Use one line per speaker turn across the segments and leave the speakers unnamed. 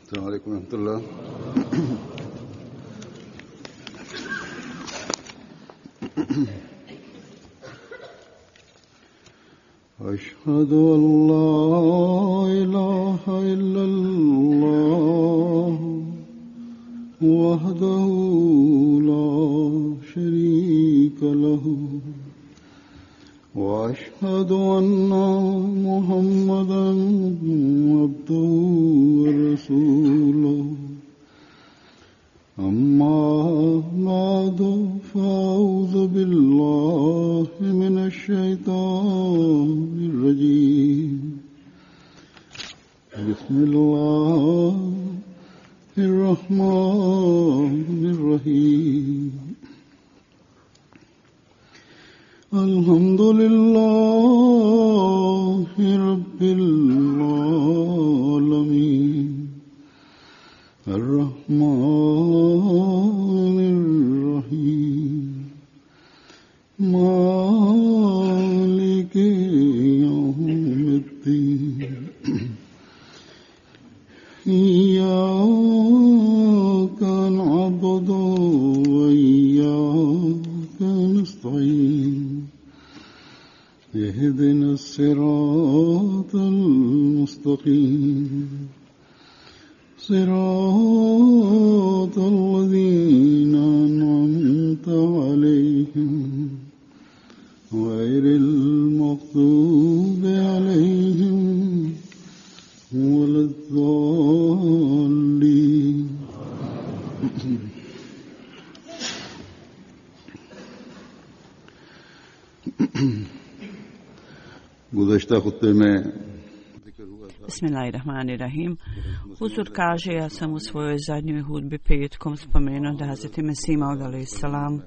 السلام عليكم ورحمة الله. أشهد أن لا إله إلا الله وحده لا شريك له وأشهد أن محمدا عبده ورسوله أما بعد فأعوذ بالله من الشيطان الرجيم بسم الله الرحمن الرحيم الحمد لله رب العالمين الرحمن الرحيم مالك يوم الدين إياك نعبد وإياك نستعين اهدنا الصراط المستقيم صراط الذين أنعمت عليهم غير المغضوب عليهم ولا الضالين. गुज़श्ता खुत्ते में
Bismillahirrahmanirrahim. Huzur kaže, ja sam u svojoj zadnjoj hudbi petkom spomenuo da Hazreti Mesih Maud alejselam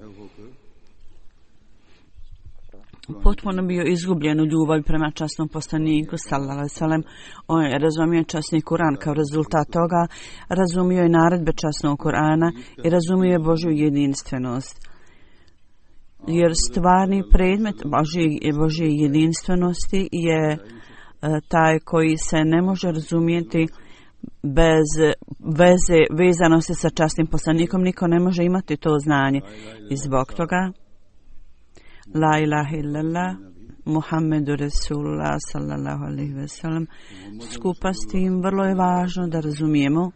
potpuno bio izgubljen u ljubavi prema časnom poslaniku sallallahu alejhi ve sellem. On je razumio časni Kur'an, kao rezultat toga razumio je naredbe časnog Kur'ana i razumio je Božju jedinstvenost. Jer stvarni predmet Božje jedinstvenosti je taj koji se ne može razumjeti bez vezanosti sa časnim poslanikom. Niko ne može imati to znanje. I zbog toga La ilaha illallah Muhammedu Rasulullah sallallahu alaihi ve sellem, skupa s tim vrlo je važno da razumijemo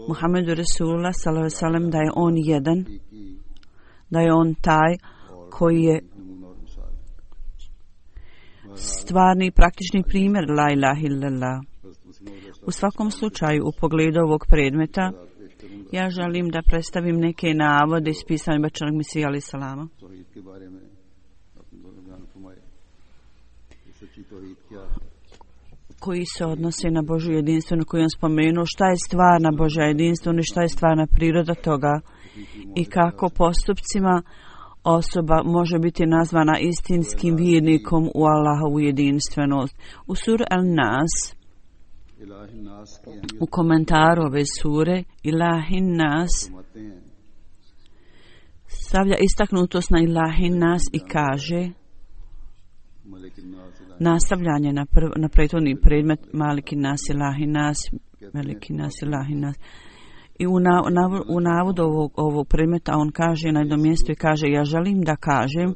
Muhammedu Rasulullah sallallahu alaihi ve sellem, da je on jedan, da je on taj koji je stvarni i praktični primjer La ilaha illallah. U svakom slučaju, u pogledu ovog predmeta, ja želim da predstavim neke navode iz pisanja Bećarnog Mesija alejhi salama. Koji se odnose na Božju jedinstvenu, koju on spomenuo, šta je stvarna Božja jedinstvena i šta je stvarna priroda toga i kako postupcima osoba može biti nazvana istinskim vjernikom u Allahovu jedinstvenost. U suri Al-Nas, u komentaru ove sure, Ilahin Nas stavlja istaknutost na Ilahin Nas i kaže nastavljanje na prethodni predmet Malikin Nas, Ilahin Nas, Malikin Nas, Ilahin Nas. I u navodu ovog predmeta on kaže na jednom mjestu i kaže, ja želim da kažem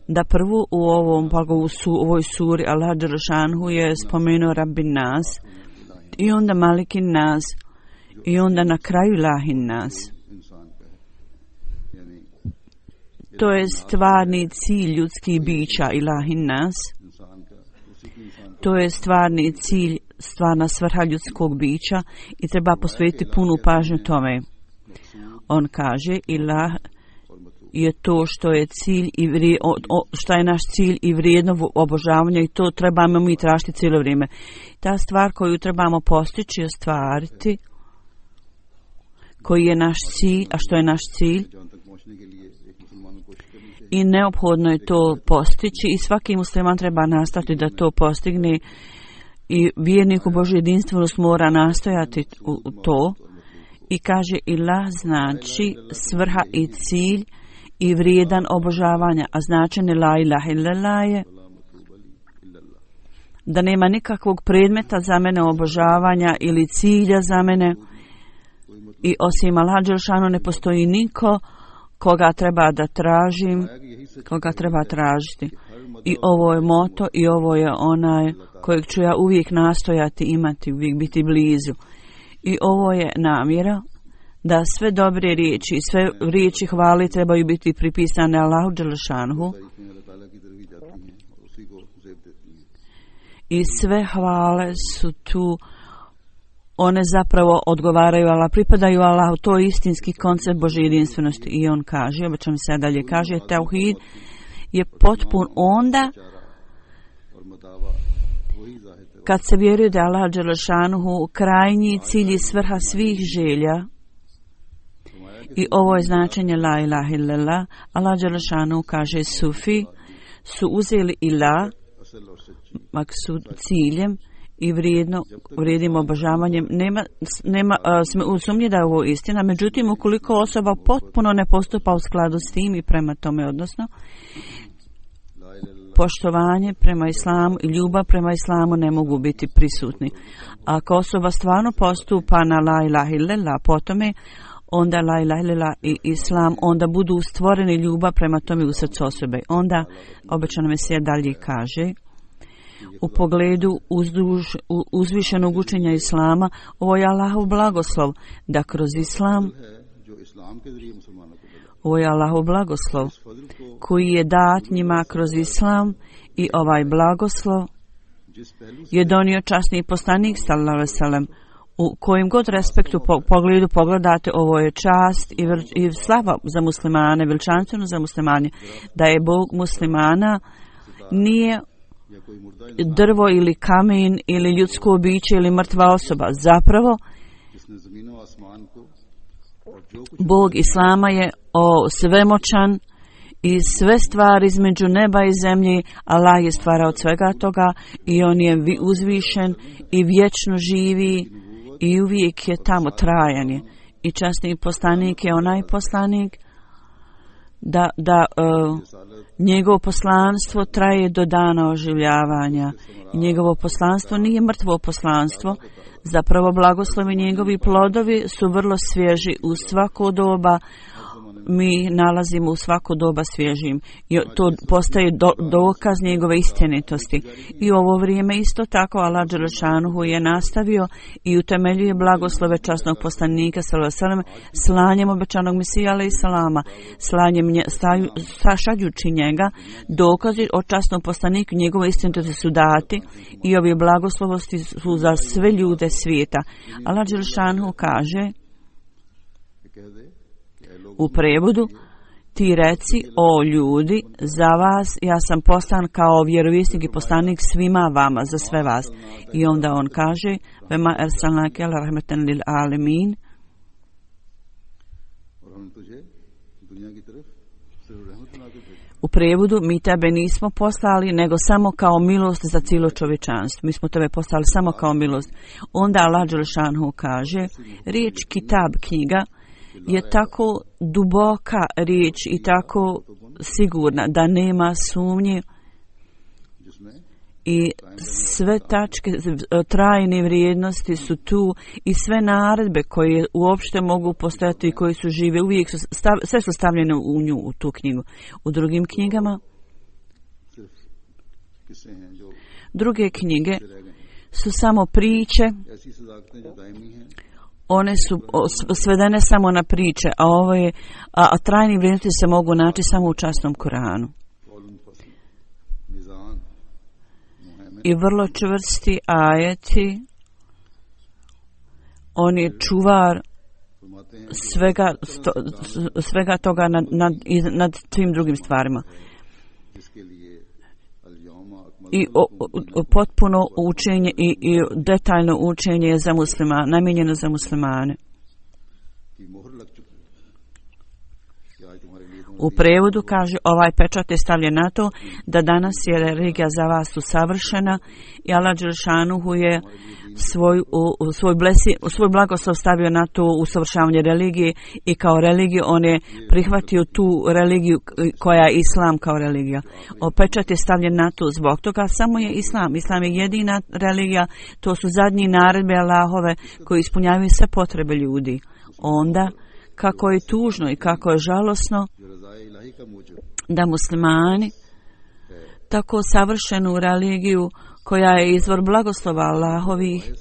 da prvo u ovoj suri Allah dželešanu je spomenuo Rabbin Nas i onda Malikin Nas i onda na kraju Ilahin Nas. To je stvarni cilj ljudskih bića Ilahin Nas. To je stvarni cilj, stvarna svrha ljudskog bića i treba posvetiti punu pažnju tome. On kaže, Ilah je to što je cilj i šta je naš cilj i vrijedno obožavanja i to trebamo mi tražiti cijelo vrijeme. Ta stvar koju trebamo postići i ostvariti, koji je naš cilj, a što je naš cilj, i neophodno je to postići i svaki musliman treba nastaviti da to postigne i vjernik u Božju jedinstvenost mora nastojati u to. I kaže ilah znači svrha i cilj i vrijedan obožavanja, a značenje la ilaha illallah je da nema nikakvog predmeta za mene obožavanja ili cilja za mene i osim Allaha dželešanu ne postoji niko koga treba da tražim, koga treba tražiti. I ovo je moto i ovo je onaj kojeg ću ja uvijek nastojati imati, uvijek biti blizu. I ovo je namjera da sve dobre riječi i sve riječi hvali trebaju biti pripisane Allahu dželešanu. I sve hvale su tu, one zapravo odgovaraju Allah, pripadaju Allahu, to je istinski koncept Božje jedinstvenosti. I on kaže, obećam se dalje, kaže, tauhid je potpun onda kad se vjeruje da Allah dželešanuhu krajnji cilj i svrha svih želja. I ovo je značenje la ilaha illallah. Allah dželešanuhu kaže, sufi su uzeli ilah maksud ciljem i vrijednim obožavanjem. Nema sumnje da je ovo istina, međutim ukoliko osoba potpuno ne postupa u skladu s tim i prema tome, odnosno poštovanje prema islamu i ljubav prema islamu ne mogu biti prisutni. Ako osoba stvarno postupa na la ilaha illallah, potome onda la ilaha illallah i islam, onda budu stvoreni ljubav prema tome u srcu osobe. Onda obećano Mesija dalje kaže, u pogledu uzvišenog učenja islama, ovo je Allahov blagoslov da kroz islam, ovo je Allahov blagoslov koji je dat njima kroz islam i ovaj blagoslov je donio časni poslanik sallallahu alejhi ve sellem. U kojim god respektu pogledu pogledate, ovo je čast i slava za muslimane, veličanstveno za muslimane, da je Bog muslimana nije drvo ili kamen ili ljudsko biće ili mrtva osoba. Zapravo, Bog islama je svemoćan i sve stvari između neba i zemlje. Allah je stvarao od svega toga i on je uzvišen i vječno živi i uvijek je tamo, trajan je. I časni poslanik je onaj poslanik da njegovo poslanstvo traje do dana oživljavanja. Njegovo poslanstvo nije mrtvo poslanstvo. Zapravo blagoslovi njegovi plodovi su vrlo svježi u svako doba. Mi nalazimo u svako doba svježim. I to postaje dokaz njegove istinitosti. I u ovo vrijeme isto tako Allah dželešanuhu je nastavio i utemeljuje blagoslove časnog poslanika sallallahu alejhi ve sellem slanjem obećanog Mesija alejhi salama, šaljući njega. Dokazi o časnom poslaniku njegove istinitosti su dati i ovi blagoslovosti su za sve ljude svijeta. Allah dželešanuhu kaže u prevodu, ti reci, o ljudi, za vas ja sam poslan kao vjerovjesnik i poslanik svima vama, za sve vas. I onda on kaže, vema ersalnake ala rahmeten lil alemin. U prevodu, mi tebe nismo poslali, nego samo kao milost za cijelo čovječanstvo. Mi smo tebe poslali samo kao milost. Onda Allah dželešanuhu kaže, riječ kitab, knjiga, je tako duboka riječ i tako sigurna da nema sumnje i sve tačke trajne vrijednosti su tu i sve naredbe koje uopšte mogu postojati i koje su žive uvijek su sve su stavljene u nju, u tu knjigu. U drugim knjigama, druge knjige su samo priče, one su svedene samo na priče, a trajne vrijednosti se mogu naći samo u časnom Kuranu. I vrlo čvrsti ajeti, on je čuvar svega toga nad svim drugim stvarima. I potpuno učenje i detaljno učenje je za muslimane, namijenjeno za muslimane. U prevodu kaže ovaj pečat je stavljen na to da danas je religija za vas usavršena i Allah dželšanuhu je svoj blagoslov stavio na to usavršavanje religije i kao religiju on je prihvatio tu religiju koja je islam kao religija. Pečat je stavljen na to zbog toga samo je islam. Islam je jedina religija, to su zadnji naredbe Allahove koji ispunjavaju sve potrebe ljudi. Onda kako je tužno i kako je žalosno da muslimani tako savršenu religiju koja je izvor blagoslova Allahovih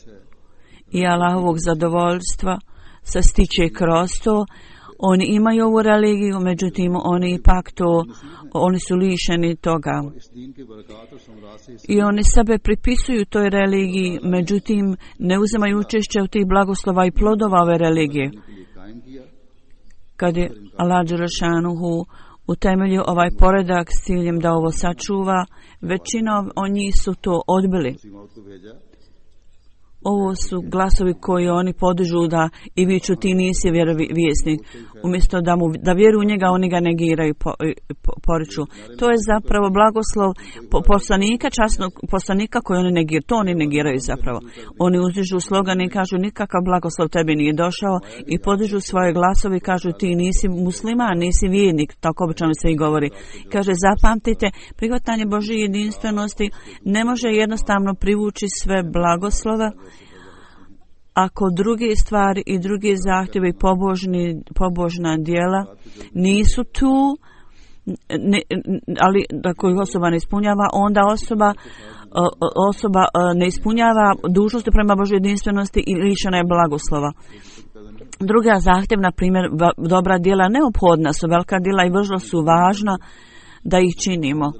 i Allahovog zadovoljstva se stiče kroz to. Oni imaju ovu religiju, međutim oni su lišeni toga. I oni sebe pripisuju toj religiji, međutim ne uzimaju učešće u tih blagoslova i plodova ove religije. Kad je Allah dželšanuhu utemeljio ovaj poredak s ciljem da ovo sačuva, većina od njih su to odbili. Ovo su glasovi koji oni podižu da i viču ti nisi vjerovjesnik. Umjesto da vjeruju u njega, oni ga negiraju, poriču. To je zapravo blagoslov poslanika, časnog poslanika koji oni negiraju. To oni negiraju zapravo. Oni uzdižu slogane i kažu nikakav blagoslov tebi nije došao i podižu svoje glasove i kažu ti nisi musliman, nisi vjernik. Tako obično se i govori. Kaže zapamtite, prihvatanje Božje jedinstvenosti ne može jednostavno privući sve blagoslova ako druge stvari i druge zahtjeve i pobožna djela nisu tu, ali ako ih osoba ne ispunjava, onda osoba ne ispunjava dužnosti prema Božoj jedinstvenosti i lišena je blagoslova. Druga zahtjev, na primjer, dobra djela neophodna su, velika djela i vrlo su važna da ih činimo.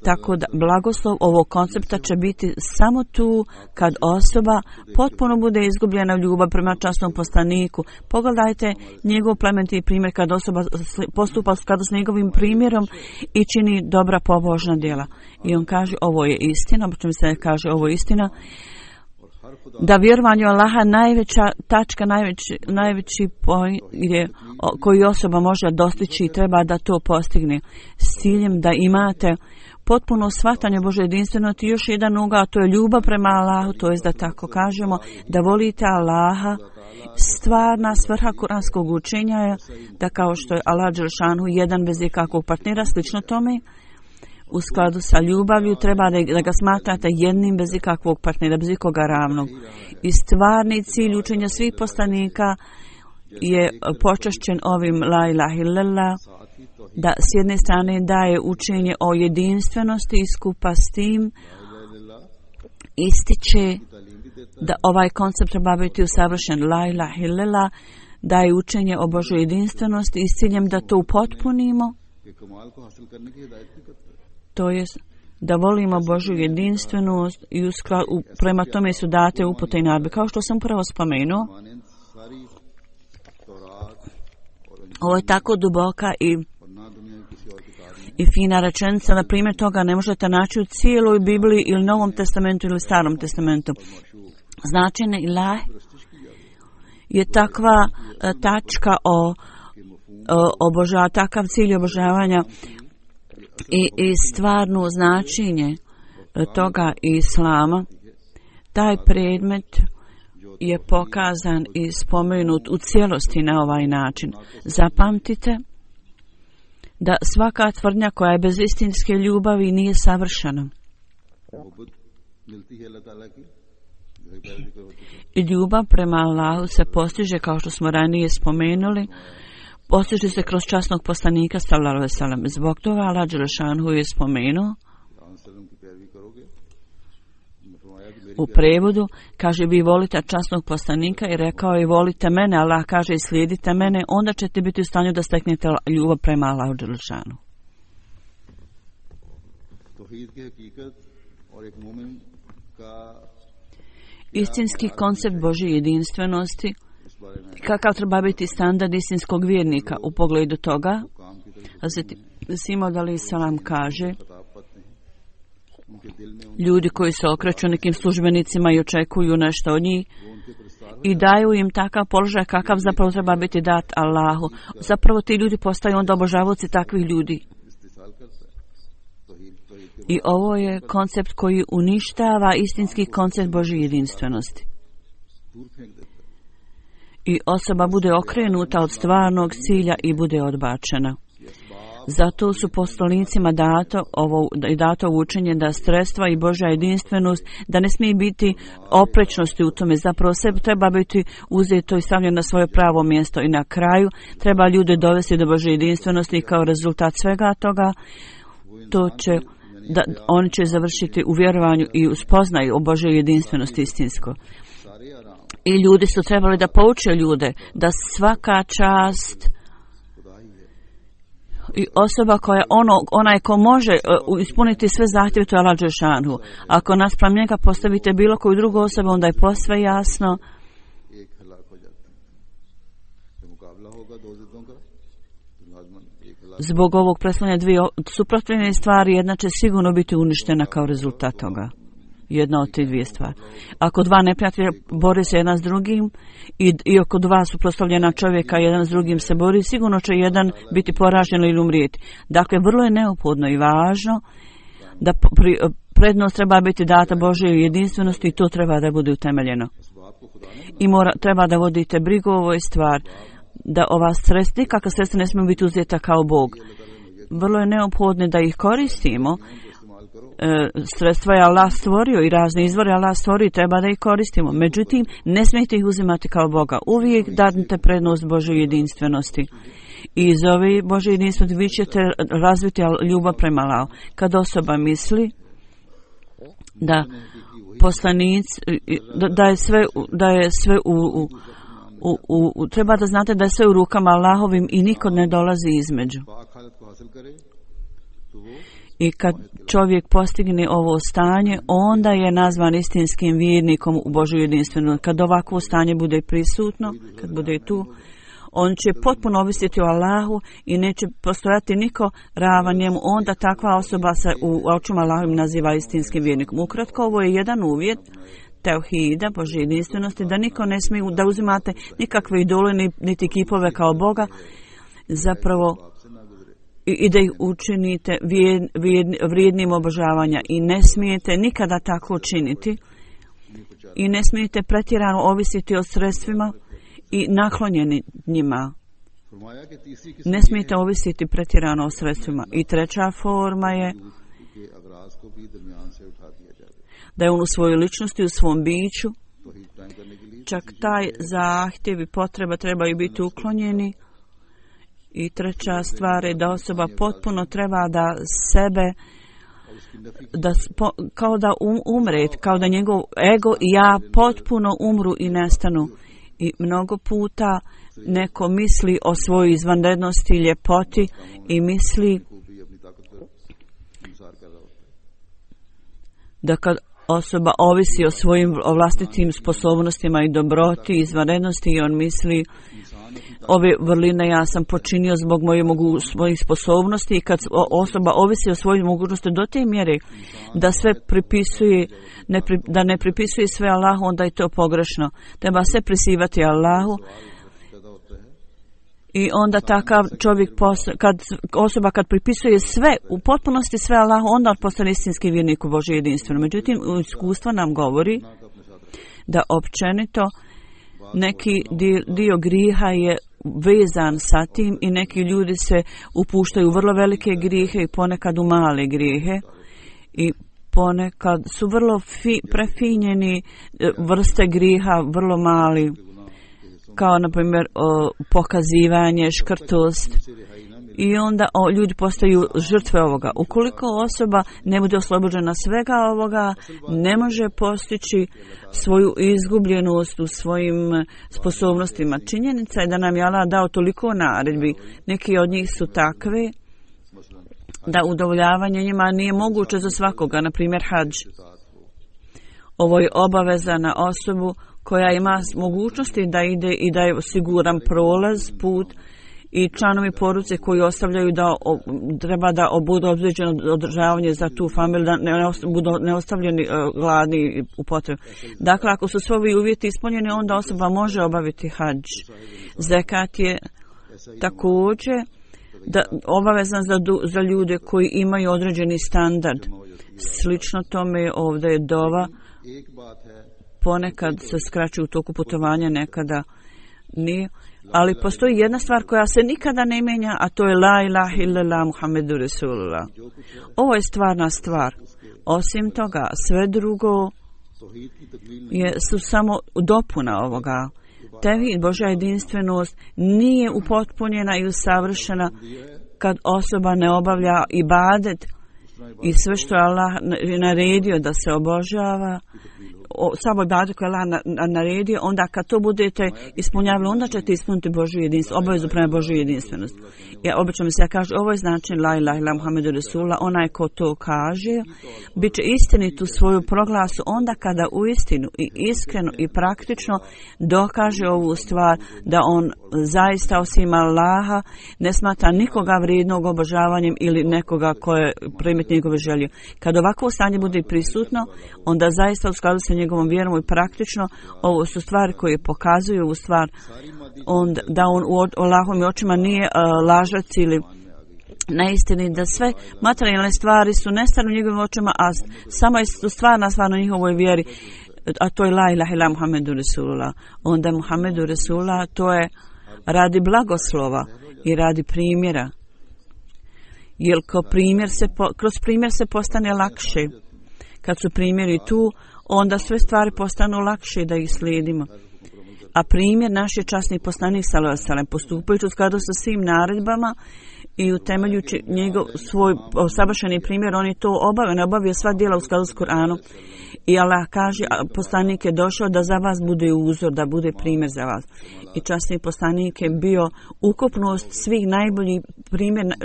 Tako da blagoslov ovog koncepta će biti samo tu kad osoba potpuno bude izgubljena u ljubav prema časnom poslaniku. Pogledajte njegov plemeniti primjer kad osoba postupa u skladu s njegovim primjerom i čini dobra pobožna djela. I on kaže ovo je istina, obično se kaže ovo je istina, da vjerovanje u Allaha najveća tačka, najveći point koji osoba može dostići i treba da to postigne s ciljem da imate potpuno shvatanje Božje jedinstvenosti. Još jedan ugao, a to je ljubav prema Allahu, to je da tako kažemo, da volite Allaha. Stvarna svrha kuranskog učenja je da kao što je Allah dželšanuhu jedan bez ikakvog partnera, slično tome, u skladu sa ljubavlju treba da ga smatrate jednim bez ikakvog partnera, bez ikoga ravnog. I stvarni cilj učenja svih poslanika je počašćen ovim la ilaha illallah, da s jedne strane daje učenje o jedinstvenosti i skupa s tim ističe da ovaj koncept treba biti usavršen. La ilaha illallah daje učenje o Božoj jedinstvenosti i s ciljem da to upotpunimo, to je da volimo Božju jedinstvenost i prema tome su date upute i naredbe. Kao što sam prvo spomenuo, ovo je tako duboka i fina rečenica, na primjer toga ne možete naći u cijeloj Bibliji ili Novom testamentu ili Starom testamentu. Značenje ilah je takva tačka takav cilj obožavanja i stvarno značenje toga islama. Taj predmet je pokazan i spomenut u cijelosti na ovaj način. Zapamtite da svaka tvrdnja koja je bez istinske ljubavi nije savršena. I ljubav prema Allahu se postiže, kao što smo ranije spomenuli, postiže se kroz časnog poslanika sallallahu alejhi ve sellem. Zbog toga Allah dželšanuhu je spomenuo u prevodu, kaže vi volite časnog poslanika i rekao je volite mene, Allah kaže i slijedite mene, onda ćete biti u stanju da steknete ljubav prema Allahu dželšanuhu. Istinski koncept Božje jedinstvenosti, kakav treba biti standard istinskog vjernika u pogledu toga, Sima alejhi selam kaže, ljudi koji se okreću nekim službenicima i očekuju nešto od njih, i daju im takav položaj kakav zapravo treba biti dat Allahu. Zapravo ti ljudi postaju onda obožavaoci takvih ljudi. I ovo je koncept koji uništava istinski koncept Božje jedinstvenosti. I osoba bude okrenuta od stvarnog cilja i bude odbačena. Zato su poslanicima dato učenje da sredstva i Božja jedinstvenost, da ne smije biti oprečnosti u tome. Zapravo sve treba biti uzeto i stavljeno na svoje pravo mjesto. I na kraju treba ljude dovesti do Božje jedinstvenosti i kao rezultat svega toga oni će završiti u vjerovanju i u spoznaju o Božjoj jedinstvenosti istinsko. I ljudi su trebali da pouče ljude da svaka čast i osoba koja onaj ko može ispuniti sve zahtjeve, to je Allah Đelešanu. Ako naspram njega postavite bilo koju drugu osobu, onda je posve jasno zbog ovog predstavljanja dvije suprotstavljene stvari, jedna će sigurno biti uništena kao rezultat toga. Jedna od te dvije stvari. Ako dva neprijatelja bori se jedan s drugim i oko dva suprotstavljena čovjeka jedan s drugim se bori, sigurno će jedan biti poražen ili umrijeti. Dakle, vrlo je neophodno i važno da prednost treba biti data Božjoj jedinstvenosti i to treba da bude utemeljeno. I treba da vodite brigu o ovoj stvari, da ova sredstva, nikakva sredstva ne smiju biti uzeta kao Bog. Vrlo je neophodno da ih koristimo. Sredstva je Allah stvorio i razne izvore Allah stvorio i treba da ih koristimo. Međutim, ne smijete ih uzimati kao Boga. Uvijek dadnite prednost Božoj jedinstvenosti. I iz ove Božje jedinstvenosti vi ćete razviti ljubav prema Allahu. Kad osoba misli da poslanic, da je sve treba da znate da je sve u rukama Allahovim i niko ne dolazi između. I kad čovjek postigne ovo stanje, onda je nazvan istinskim vjernikom u Božju jedinstvenost. Kad ovakvo stanje bude prisutno, kad bude tu, on će potpuno ovisiti o Allahu i neće postojati niko ravan njemu. Onda takva osoba se u očima Allahovim naziva istinskim vjernikom. Ukratko, ovo je jedan uvjet teuhida, Božje jedinstvenosti, da niko ne smije da uzimate nikakve idole niti kipove kao Boga, zapravo i da ih učinite vrijednim obožavanja i ne smijete nikada tako činiti i ne smijete pretjerano ovisiti o sredstvima i naklonjeni njima. Ne smijete ovisiti pretjerano o sredstvima. I treća forma je da je on u svojoj ličnosti, u svom biću, čak taj zahtjev i potreba trebaju biti uklonjeni. I treća stvar je da osoba potpuno treba da sebe, kao da umre, kao da njegov ego i ja potpuno umru i nestanu. I mnogo puta neko misli o svojoj izvanrednosti i ljepoti i misli da kad osoba ovisi o svojim vlastitim sposobnostima i dobroti i izvanrednosti i on misli ove vrline ja sam počinio zbog svojih sposobnosti i kad osoba ovisi o svojim mogućnosti do te mjere da sve pripisuje, da ne pripisuje sve Allahu, onda je to pogrešno. Treba sve prisivati Allahu i onda takav čovjek, osoba kad pripisuje sve, u potpunosti sve Allahu, onda postane istinski vjernik u Božje jedinstveno. Međutim, iskustvo nam govori da općenito neki dio griha je vezan sa tim i neki ljudi se upuštaju u vrlo velike grijehe i ponekad u male grijehe i ponekad su vrlo prefinjeni vrste grijeha, vrlo mali, kao na primjer pokazivanje, škrtost. I onda ljudi postaju žrtve ovoga. Ukoliko osoba ne bude oslobođena svega ovoga, ne može postići svoju izgubljenost u svojim sposobnostima. Činjenica je da nam je Allah dao toliko naredbi. Neki od njih su takve da udovoljavanje njima nije moguće za svakoga. Na primjer, hadž. Ovo je obaveza na osobu koja ima mogućnosti da ide i da je siguran prolaz, put, i članovi porodice koji ostavljaju da treba da budu obzređeno održavanje za tu familiju, da budu neostavljeni gladni u potrebu. Dakle, ako su svi ovi uvjeti ispunjeni, onda osoba može obaviti hadž. Zekat je također obavezan za ljude koji imaju određeni standard. Slično tome ovdje je dova. Ponekad se skraćuje u toku putovanja, nekada nije. Ali postoji jedna stvar koja se nikada ne mijenja, a to je la ilaha illallah Muhammedu Rasulullah. Ovo je stvarna stvar. Osim toga, sve drugo su samo dopuna ovoga. Tevhid, Božja jedinstvenost, nije upotpunjena i usavršena kad osoba ne obavlja ibadet i sve što je Allah naredio da se obožava, samo ibadet koje je Allah naredio, onda kad to budete ispunjavali, onda ćete ispuniti Božju jedinstvenost, obavezu prema Božju jedinstvenost. Obično mi se kaže, ovo je znači la ilaha illallah Muhammedu Rasulullah, onaj ko to kaže, bit će istinit u svoju proglasu onda kada uistinu i iskreno i praktično dokaže ovu stvar da on zaista osim Allaha ne smatra nikoga vrijednog obožavanjem ili nekoga ko je primit njegove želje. Kad ovako stanje bude prisutno, onda zaista u skladu sa njegovom vjerom i praktično, ovo su stvari koje pokazuju ovu stvar, da on u Allahovim očima nije lažac ili neistini, da sve materijalne stvari su nestane u njegovim očima, a samo je stvarna stvar na njihovoj vjeri, a to je la ilaha illallah Muhammedu Rasulullah. Onda Muhammedu Rasulullah to je radi blagoslova i radi primjera. Jer kroz primjer se postane lakše. Kad su primjeri tu, onda sve stvari postanu lakše da ih slijedimo. A primjer naš je časni poslanik sallallahu alejhi ve sellem, postupajući u skladu sa svim naredbama i utemeljujući njegov svoj savršeni primjer, on je to obavio sva djela u skladu s Kur'anom. I Allah kaže, poslanik je došao da za vas bude uzor, da bude primjer za vas. I časni poslanik je bio ukupnost svih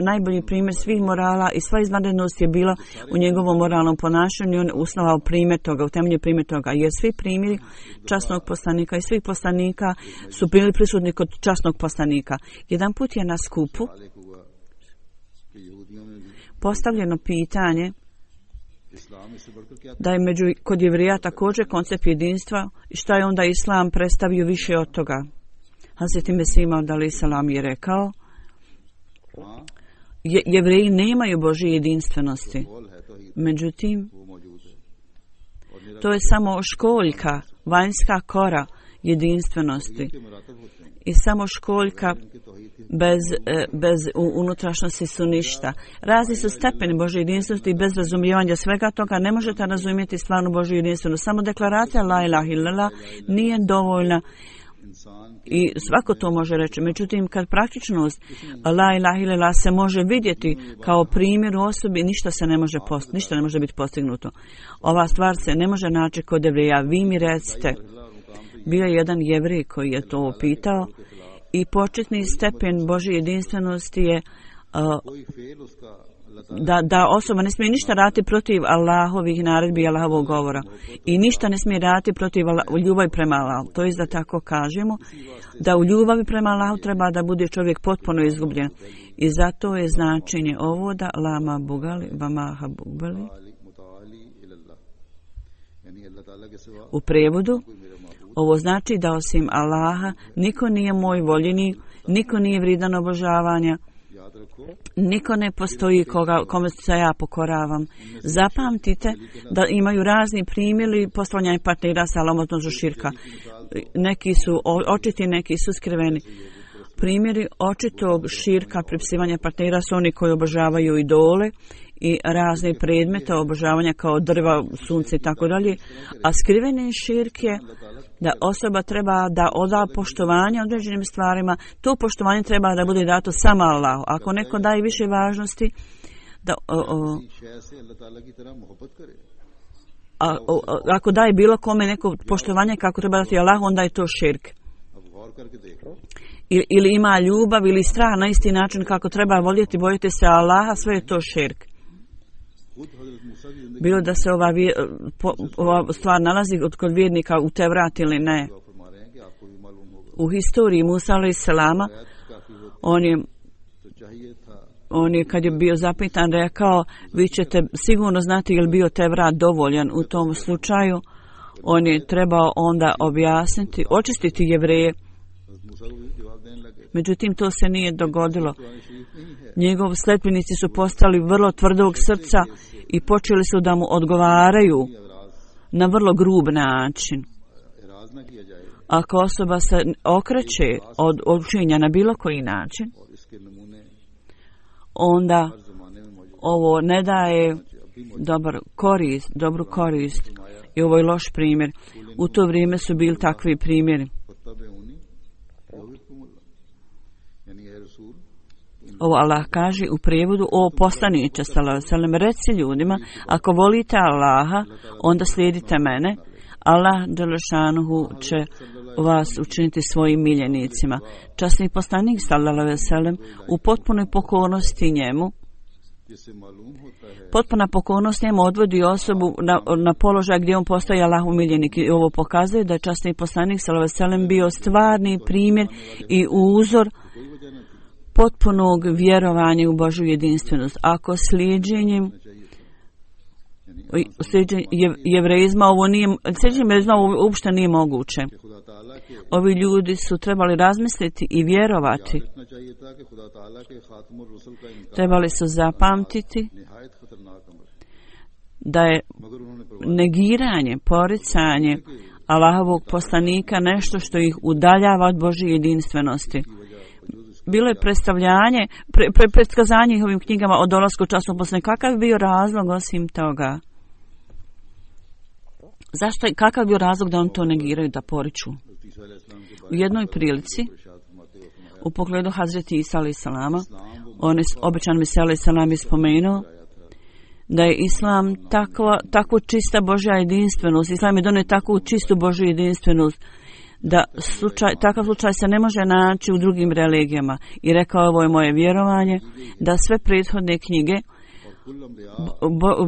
najbolji primjer svih morala i sva izvanrednost je bila u njegovom moralnom ponašanju. On je usnovao primjer toga, utemelje primjer toga. Jer svi primjeri časnog poslanika i svih poslanika su bili prisutni kod časnog poslanika. Jedan put je na skupu postavljeno pitanje da je kod Jevrija također koncept jedinstva i šta je onda Islam predstavio više od toga. Hazreti Mesih Maud alejhi selam je rekao, Jevreji nemaju Božje jedinstvenosti. Međutim, to je samo školjka, vanjska kora jedinstvenosti i samo školjka bez unutrašnjosti su ništa. Razni su stepeni Božje jedinstvenosti i bez razumijevanja svega toga ne možete razumjeti stvarnu Božju jedinstvenost. Samo deklaracija la ilaha illallah nije dovoljna i svako to može reći. Međutim, kad praktičnost la ilaha illallah se može vidjeti kao primjer u osobi, ništa ne može biti postignuto. Ova stvar se ne može naći kod Jevrija. Vi mi recite, bio je jedan Jevrej koji je to pitao i početni stepen Božje jedinstvenosti je da osoba ne smije ništa raditi protiv Allahovih naredbi i Allahovog govora i ništa ne smije raditi protiv ljubavi prema Allahu. To je da tako kažemo, da u ljubavi prema Allahu treba da bude čovjek potpuno izgubljen. I zato je značenje ovo da lama bugali vama habubali. U prevodu ovo znači da osim Allaha niko nije moj voljeni, niko nije vrijedan obožavanja, niko ne postoji kome se ja pokoravam. Zapamtite da imaju razni primjeri postavljanja partnera sa lomotnožu širka. Neki su očiti, neki su skriveni. Primjeri očitog širka pripisivanja partnera su oni koji obožavaju idole i razne predmete obožavanja kao drva, sunce i tako dalje. A skriveni širk je da osoba treba da oda poštovanje određenim stvarima. To poštovanje treba da bude dato samo Allahu. Ako neko daje više važnosti, ako daje bilo kome neko poštovanje kako treba dati Allahu, onda je to širk. Ili ima ljubav ili strah na isti način kako treba voljeti, bojiti se Allaha, sve je to širk. Bilo da se ova stvar nalazi kod vjernika u Tevrat ili ne. U historiji Musa alejhi selama On je kad je bio zapitan rekao, vi ćete sigurno znati je li bio Tevrat dovoljan u tom slučaju. On je trebao onda objasniti, očistiti Jevreje. Međutim, to se nije dogodilo. Njegovi sledbenici su postali vrlo tvrdog srca i počeli su da mu odgovaraju na vrlo grub način. Ako osoba se okreće od učenja na bilo koji način, onda ovo ne daje dobru korist. I ovo je loš primjer. U to vrijeme su bili takvi primjeri. Ovo Allah kaže u prijevodu: o poslaniče sallallahu alejhi ve sellem, reci ljudima, ako volite Allaha, onda slijedite mene. Allah dželešanuhu će vas učiniti svojim miljenicima. Časni poslanik sallallahu alejhi ve sellem u potpunoj pokornosti njemu, potpuna pokornost njemu odvodi osobu na položaj gdje on postaje Allahov miljenik. I ovo pokazuje da je časni poslanik sallallahu alejhi ve sellem bio stvarni primjer i uzor potpunog vjerovanja u Božju jedinstvenost. Ako slijeđenjem jevreizma ovo uopšte nije moguće. Ovi ljudi su trebali razmisliti i vjerovati. Trebali su zapamtiti da je negiranje, poricanje Allahovog poslanika nešto što ih udaljava od Božje jedinstvenosti. Bilo je predskazanje ovim knjigama o dolasku časnog poslanika. Kakav je bio razlog osim toga? Kakav je bio razlog da on to negiraju, da poriču? U jednoj prilici, u pogledu Hazreti Isa alejhi selama, obećan Mesija alejhi selam je spomenuo da je Islam tako čista Božja jedinstvenost. Islam je donio takvu čistu Božju jedinstvenost da takav slučaj se ne može naći u drugim religijama. I rekao, ovo je moje vjerovanje, da sve prethodne knjige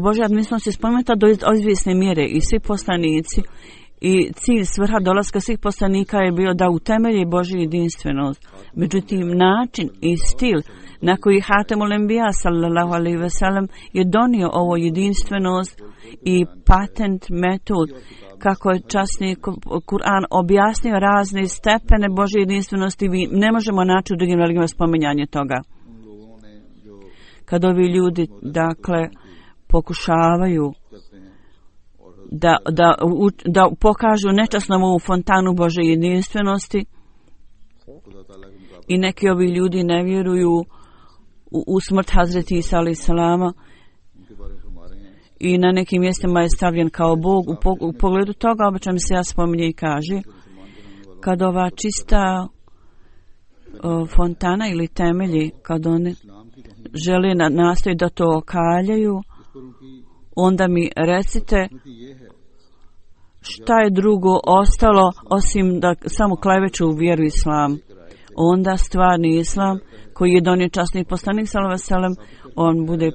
Božja jedinstvenost je spomenuta do izvjesne mjere i svi poslanici i cilj svrha dolaska svih poslanika je bio da utemelji Božju jedinstvenost. Međutim, način i stil na koji Hatemul Enbija sallallahu alejhi ve sellem je donio ovo jedinstvenost i patent metod kako je časni Kur'an objasnio razne stepene Božje jedinstvenosti, ne možemo naći u drugim religijama spominjanje toga. Kad ovi ljudi, dakle, pokušavaju da pokažu nečasnom ovu fontanu Božje jedinstvenosti i neki ovi ljudi ne vjeruju u smrt Hazreti Isa alejhi selama i na nekim mjestima je stavljen kao Bog. U pogledu toga obično mi se spominje i kaže, kad ova čista fontana ili temelji, kad oni žele nastoji da to okaljaju, onda mi recite šta je drugo ostalo osim da samo kleveću u vjeru Islam. Onda stvarni Islam koji je donio časni poslanik sallallahu alejhi ve sellem, on bude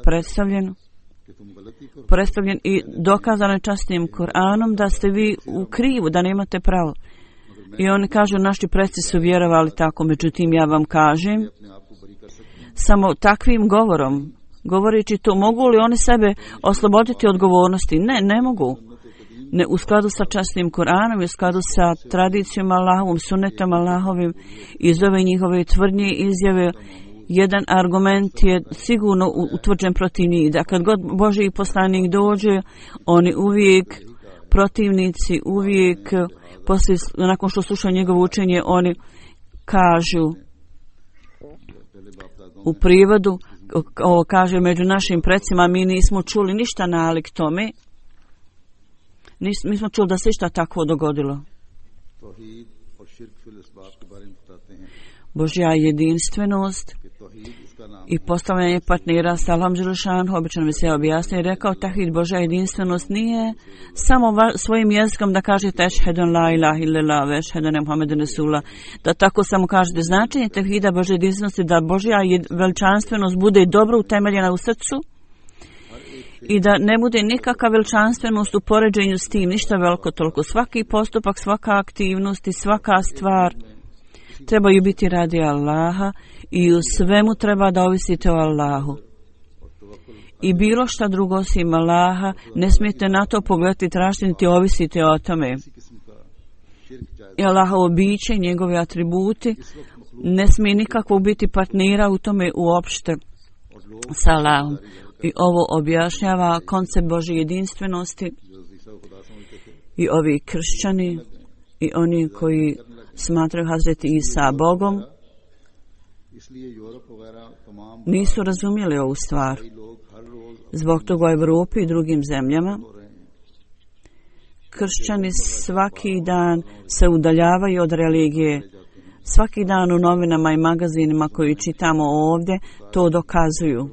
predstavljen i dokazano je časnim Kur'anom da ste vi u krivu, da nemate pravo. I oni kažu, naši preci su vjerovali tako, međutim ja vam kažem, samo takvim govorom, govoreći to, mogu li oni sebe osloboditi odgovornosti? Ne mogu. Ne, u skladu sa časnim Kur'anom, u skladu sa tradicijom Allahovom, sunnetom Allahovim, iz ove njihove tvrdnje izjave, jedan argument je sigurno utvrđen protiv njih, da kad god Božji poslanik dođe, oni uvijek, protivnici, uvijek, poslije, nakon što slušaju njegovo učenje, oni kažu, u prijevodu, ovo kaže, među našim precima mi nismo čuli ništa nalik tome, mi smo čuli da se išta takvo dogodilo. Božja jedinstvenost i postavljanje partnera sa Allahom dželešanuhu, obično mi se objasnio i rekao, tahid, Božja jedinstvenost nije samo svojim jezikom da kažete ešhedun la ilaha illallah ve ešhedun Muhammeden rasulullah, da tako samo kažete. Značenje tahida Božje jedinstvenosti da Božja veličanstvenost bude dobro utemeljena u srcu i da ne bude nikakva veličanstvenost u poređenju s tim, ništa veliko toliko. Svaki postupak, svaka aktivnost i svaka stvar trebaju biti radi Allaha i u svemu treba da ovisite o Allahu. I bilo šta drugo osim Allaha, ne smijete na to pogledati, tražiti niti ovisite o tome. I Allahovo biće i njegovi atributi ne smije nikakvo biti partnera u tome uopšte sa Allahom. I ovo objašnjava koncept Božje jedinstvenosti i ovi kršćani i oni koji smatraju Hazreti Isa Bogom nisu razumjeli ovu stvar. Zbog toga u Europi i drugim zemljama kršćani svaki dan se udaljavaju od religije. Svaki dan u novinama i magazinima koji čitamo ovdje to dokazuju.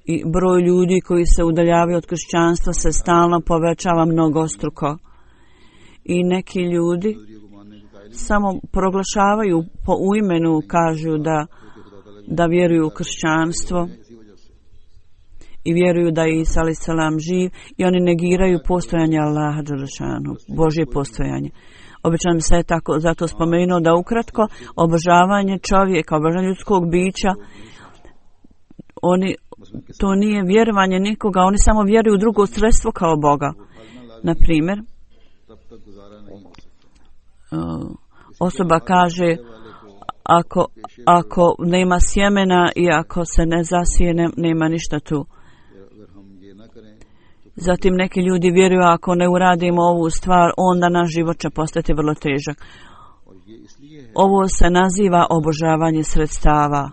I broj ljudi koji se udaljavaju od kršćanstva se stalno povećava mnogostruko. I neki ljudi samo proglašavaju u imenu, kažu da vjeruju u kršćanstvo i vjeruju da je Isa a.s. živ i oni negiraju postojanje Allaha dželešanu, Božje postojanje. Obično se je tako zato spomenuo da ukratko obožavanje čovjeka, obožavanje ljudskog bića, to nije vjerovanje nikoga, oni samo vjeruju u drugo sredstvo kao Boga. Na primjer, osoba kaže ako nema sjemena i ako se ne zasije, nema ništa tu. Zatim neki ljudi vjeruju ako ne uradimo ovu stvar, onda naš život će postati vrlo težak. Ovo se naziva obožavanje sredstava,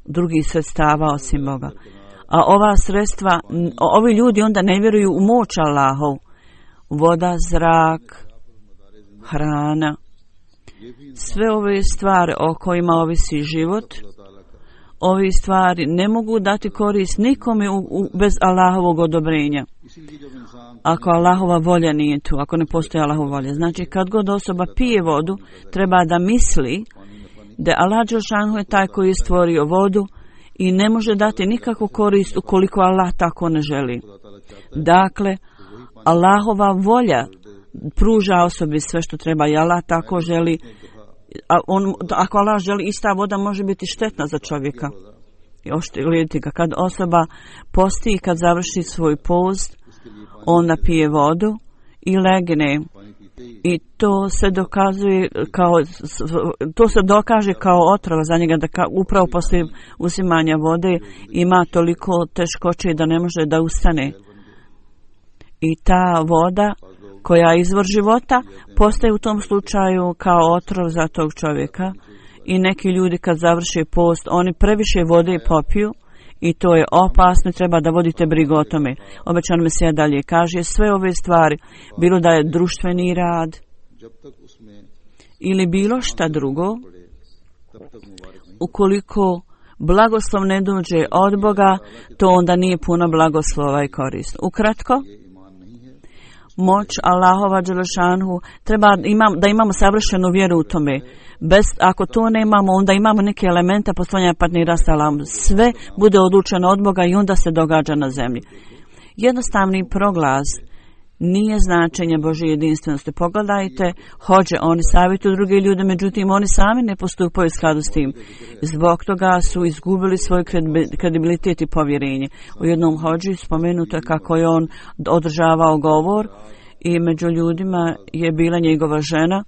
drugih sredstava osim Boga. A ova sredstva, ovi ljudi onda ne vjeruju u moć Allahov. Voda, zrak, hrana, sve ove stvari o kojima ovisi život, ove stvari ne mogu dati korist nikome bez Allahovog odobrenja. Ako Allahova volja nije tu, ako ne postoji Allahova volja. Znači, kad god osoba pije vodu, treba da misli da Allah dželešanu je taj koji je stvorio vodu i ne može dati nikakvu korist ukoliko Allah tako ne želi. Dakle, Allahova volja pruža osobi sve što treba i Allah tako želi. Ako Allah želi, ista voda može biti štetna za čovjeka. Kad osoba posti i kad završi svoj post, onda pije vodu i legne. I to se dokaže kao otrova za njega, da upravo poslije uzimanja vode ima toliko teškoće da ne može da ustane. I ta voda koja je izvor života postaje u tom slučaju kao otrov za tog čovjeka. I neki ljudi kad završe post, oni previše vode popiju i to je opasno, treba da vodite brigu o tome. Obećan Mesija dalje kaže, sve ove stvari, bilo da je društveni rad ili bilo šta drugo, ukoliko blagoslov ne dođe od Boga, to onda nije puno blagoslova i korist. Ukratko, moć Allahova dželešanu treba da imamo savršenu vjeru u tome. Ako to nemamo, onda imamo neke elemente postojanja partnera sa Allahom. Sve bude odlučeno od Boga i onda se događa na zemlji. Jednostavni proglas nije značenje Božje jedinstvenosti. Pogledajte, hođe, oni savjetuju druge ljude, međutim oni sami ne postupaju u skladu s tim. Zbog toga su izgubili svoj kredibilitet i povjerenje. U jednom hođi spomenuto je kako je on održavao govor i među ljudima je bila njegova žena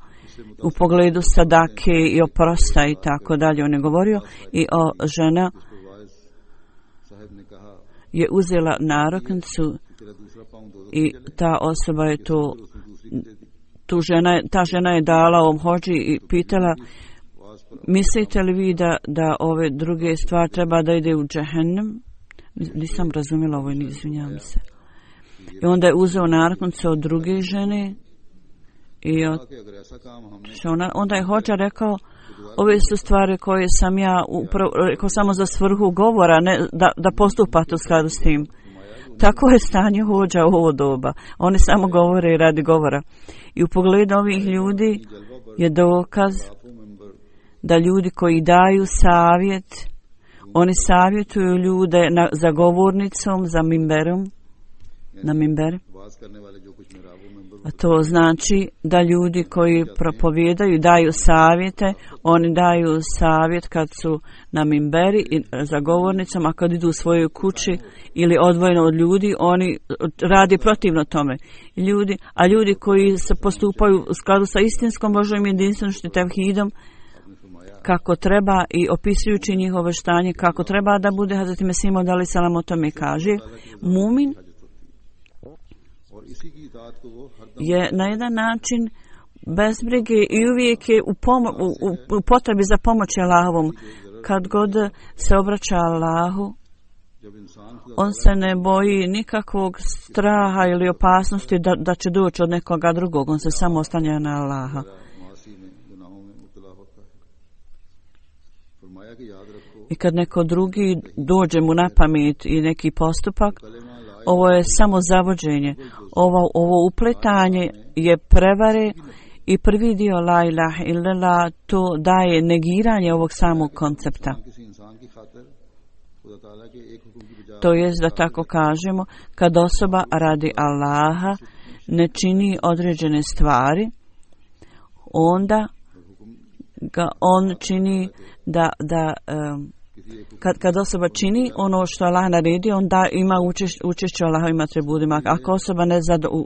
u pogledu sadake i oprosta i tako dalje. On je govorio i žena je uzela naruknicu i ta osoba je ta žena je dala ovom hođi i pitala, mislite li vi da ove druge stvari treba da ide u džehennem? Nisam razumjela ovo, izvinjavam se. I onda je uzeo naruknicu od druge žene i onda je hođa rekao, ove su stvari koje sam ja rekao samo za svrhu govora, ne da postupate u skladu s tim. Tako je stanje hođa u ovo doba. Oni samo govore radi govora. I u pogledu ovih ljudi je dokaz da ljudi koji daju savjet, oni savjetuju ljude za govornicom, za mimberom na minberi. A to znači da ljudi koji propovijedaju, daju savjete, oni daju savjet kad su na minberi i za govornicom, a kad idu u svojoj kući ili odvojeno od ljudi, oni radi protivno tome. Ljudi koji se postupaju u skladu sa istinskom Božjom jedinstvenošću tevhidom, kako treba i opisujući njihovo štanje, kako treba da bude, Hazreti Mesih Maud alejhi selam o tome kaže, mumin je na jedan način bez brige i uvijek je u potrebi za pomoć Allahovom. Kad god se obraća Allahu, on se ne boji nikakvog straha ili opasnosti da će doći od nekoga drugog. On se samo oslanja na Allaha. I kad neko drugi dođe mu na pamet i neki postupak, ovo je samo zavođenje. Ovo upletanje je prevare i prvi dio la ilaha illallah, to daje negiranje ovog samog koncepta. To jest da tako kažemo, kad osoba radi Allaha ne čini određene stvari, onda ga on čini kad osoba čini ono što Allah naredi, onda ima učešće u Allahovim atributima. Ako osoba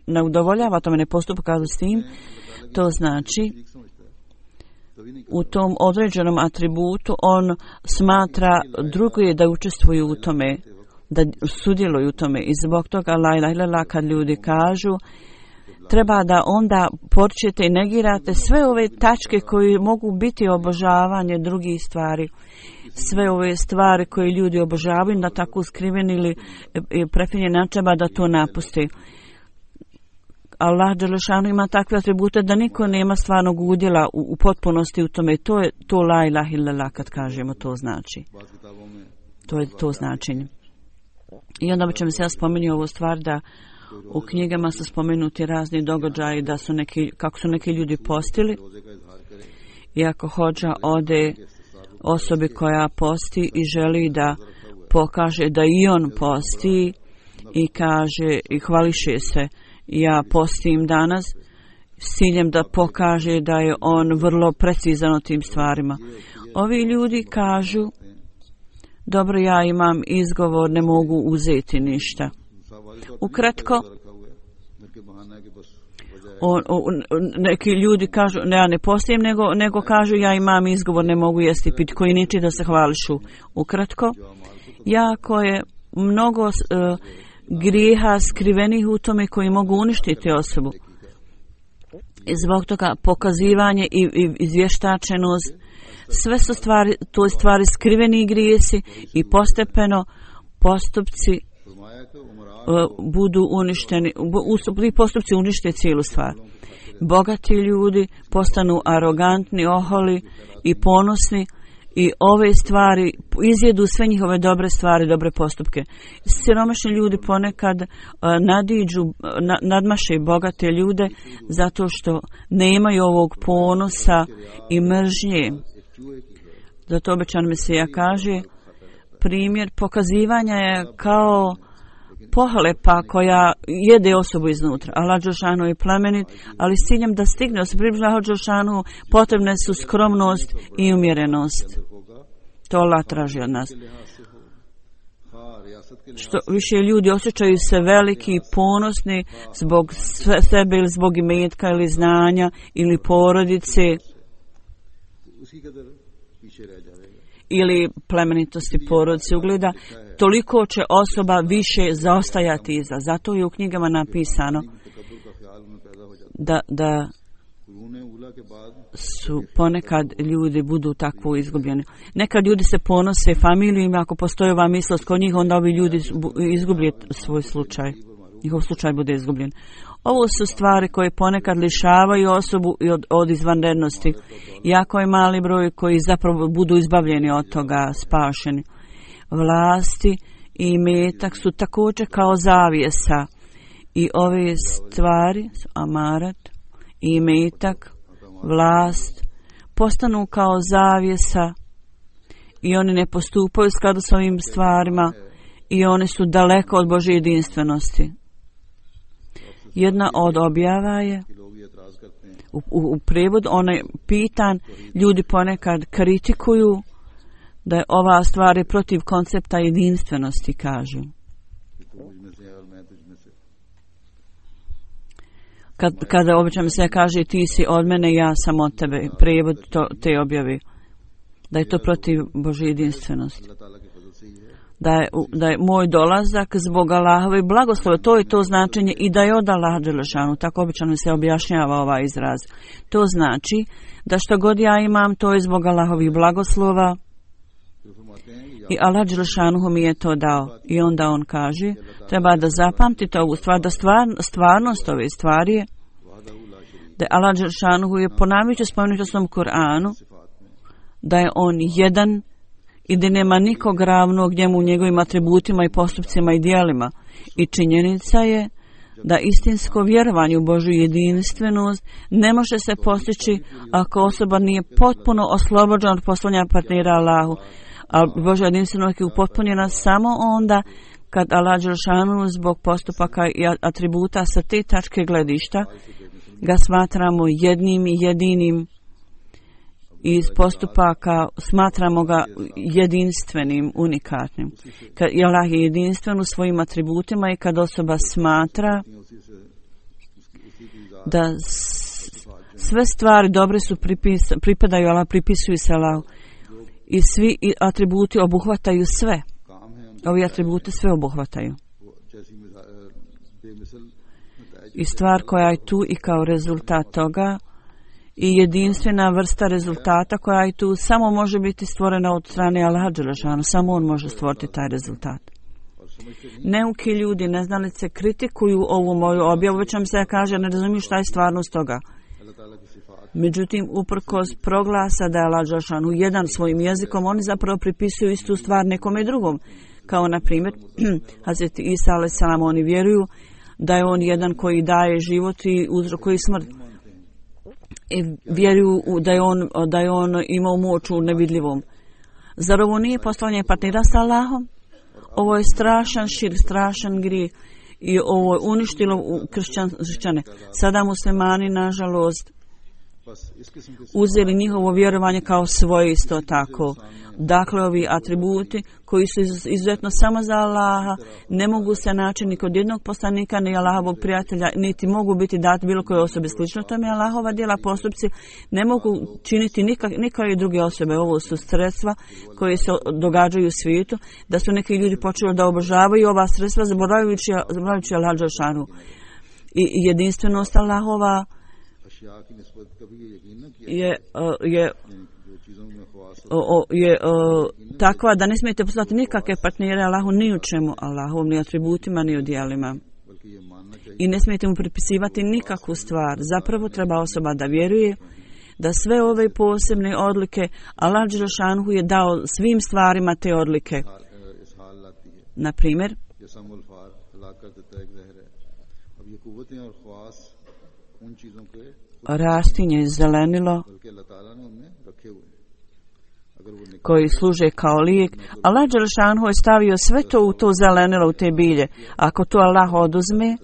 ne udovoljava tome, ne postupa kao s tim, to znači u tom određenom atributu on smatra druge da učestvuju u tome, da sudjeluju u tome. I zbog toga la ilaha illallah, kad ljudi kažu, treba da onda počnete i negirate sve ove tačke koje mogu biti obožavanje drugih stvari. Sve ove stvari koje ljudi obožavaju na tako skriven ili prefinjen način, treba da to napusti. Allah dželešanu ima takve atribute da niko nema stvarnog udjela u potpunosti u tome. To je to la ilaha illallah, kad kažemo, to znači. To je to značenje. I onda ćemo se spomenuti ovu stvar da u knjigama su spomenuti razni događaji da su kako su neki ljudi postili. I ako hođa ode osobi koja posti i želi da pokaže da i on posti i kaže i hvališe se, ja postim danas, s ciljem da pokaže da je on vrlo precizan o tim stvarima. Ovi ljudi kažu, dobro, ja imam izgovor, ne mogu uzeti ništa. Ukratko, neki ljudi kažu, ne, ja ne postijem, nego kažu, ja imam izgovor, ne mogu jesti pit, koji niči da se hvališu. Ukratko, jako je mnogo grijeha skrivenih u tome koji mogu uništiti osobu. I zbog toga pokazivanje i izvještačenost, sve su stvari skriveni grijesi i postepeno postupci budu uništeni, postupci unište cijelu stvar. Bogati ljudi postanu arogantni, oholi i ponosni i ove stvari izjedu sve njihove dobre stvari, dobre postupke. Siromašni ljudi ponekad nadmaše bogate ljude zato što nemaju ovog ponosa i mržnje. Zato obećan Mesija kaže, primjer pokazivanja je kao pohlepa koja jede osobu iznutra. Allah dželešanu je plemenit, ali s ciljem da stigne se približiti Allahu dželešanu potrebne su skromnost i umjerenost. To Allah traži od nas. Što više ljudi osjećaju se veliki i ponosni zbog sebe ili zbog imetka ili znanja ili porodice ili plemenitosti porodice ugleda, toliko će osoba više zaostajati iza. Zato je u knjigama napisano da su ponekad ljudi budu tako izgubljeni. Nekad ljudi se ponose familijom, ako postoji ova mislost kod njih, onda ovi ljudi izgublje svoj slučaj. Njihov slučaj bude izgubljen. Ovo su stvari koje ponekad lišavaju osobu od izvanrednosti. Jako je mali broj koji zapravo budu izbavljeni od toga, spašeni. Vlasti i imetak su također kao zavjesa. I ove stvari, amarat, imetak, vlast, postanu kao zavjesa i oni ne postupaju u skladu s ovim stvarima i oni su daleko od Božje jedinstvenosti. Jedna od objava je
कि लोग ये एतराज करते हैं
u prevodu, onaj pitan, ljudi ponekad kritikuju da je ova stvar je protiv koncepta jedinstvenosti, kažu.
कि तू मुझ में से है और मैं तुझ में से।
Kada obično se kaže ti si od mene, ja sam od tebe, prevod te objave, da je to protiv Božje jedinstvenosti.
अल्लाह ताला के फजल से ही है
Da je moj dolazak zbog Allahove blagoslove, to je to značenje, i da je od Allaha dželešanu, tako obično se objašnjava ovaj izraz. To znači da što god ja imam, to je zbog Allahovih blagoslova
फिर फरमाते हैं कि
i Allah dželešanu mi je to dao. I onda on kaže, treba da zapamtite ovu stvar, da stvarnost ove stvari je
वहदहू ला शरीक
da je Allah dželešanu je ponavljajući spomenuti u svom Kur'anu
सिफात में
da je on jedan i da nema nikog ravnog njemu u njegovim atributima i postupcima i djelima. I činjenica je da istinsko vjerovanje u Božju jedinstvenost ne može se postići ako osoba nije potpuno oslobođena od poslanja partnera Allahu. A Božja jedinstvenost je upotpunjena samo onda kad Allah dželešanu zbog postupaka i atributa sa te tačke gledišta ga smatramo jednim i jedinim, iz postupaka smatramo ga jedinstvenim, unikatnim. Kad Allah je jedinstven u svojim atributima i kad osoba smatra da sve stvari dobre su pripadaju Allah, pripisuju se Allahu i svi atributi obuhvataju sve.
काम है
Ovi atributi sve obuhvataju.
वो जैसी बेमिसल
I stvar koja je tu i kao rezultat toga i jedinstvena vrsta rezultata koja je tu samo može biti stvorena od strane Allaha dželešanu. Samo on može stvoriti taj rezultat. Neuki ljudi, neznalice, kritikuju ovu moju objavu, već vam se kaže, ne razumiju šta je stvarnost toga.
अल्लाह ताला की सिफात
Međutim, uprkos proglasa da je Allah dželešanu jedan svojim jezikom, oni zapravo pripisuju istu stvar nekome drugom. Kao na primjer, Hazreti Isa alejselam, oni vjeruju da je on jedan koji daje život i uzrokuje smrt. I vjeruju da je on imao moć u nevidljivom. Zar ovo nije postavljanje partnera sa Allahom? Ovo je strašan širk, strašan grijeh i ovo je uništilo kršćane. Sada muslimani, nažalost,
बस इस किस्म के
uzeli njihovo vjerovanje kao svoje isto tako. Dakle, ovi atributi koji su izuzetno samo za Allaha ne mogu se naći ni kod jednog poslanika, ni Allahovog prijatelja, niti mogu biti dati bilo koje osobe slično tome. Allahova djela, postupci ne mogu činiti nikakve druge osobe. Ovo su sredstva koje se događaju u svijetu, da su neki ljudi počeli da obožavaju ova sredstva zaboravljajući Allaha dželešanu. I jedinstvenost Allahova
अशिया की निस्बत कभी ये यकीन न किया
je
जो चीजों में ख्वास
takva da ne smijete poslati nikakve partnere Allahu ni u čemu, Allahovom ni atributima ni u djelima.
बल्कि ये मानना चाहिए
I ne smijete mu pripisivati nikakvu stvar. Zapravo treba osoba da vjeruje da sve ove posebne odlike Allah dželešanu je dao svim stvarima te odlike.
इस हाल लाती है
Na primjer,
जैसा मुल्फार हलाक कर देता है एक जहर है। अब ये कुव्वतें और ख्वास उन चीजों के
rastinje, zelenilo
बल्कि अल्लाह ताला ने उनमें रखे हुए हैं। अगर वो निकाल
koji služe kao lijek, Allah dželešanu je stavio sve to u to zelenilo, u te bilje. Ako to Allah oduzme,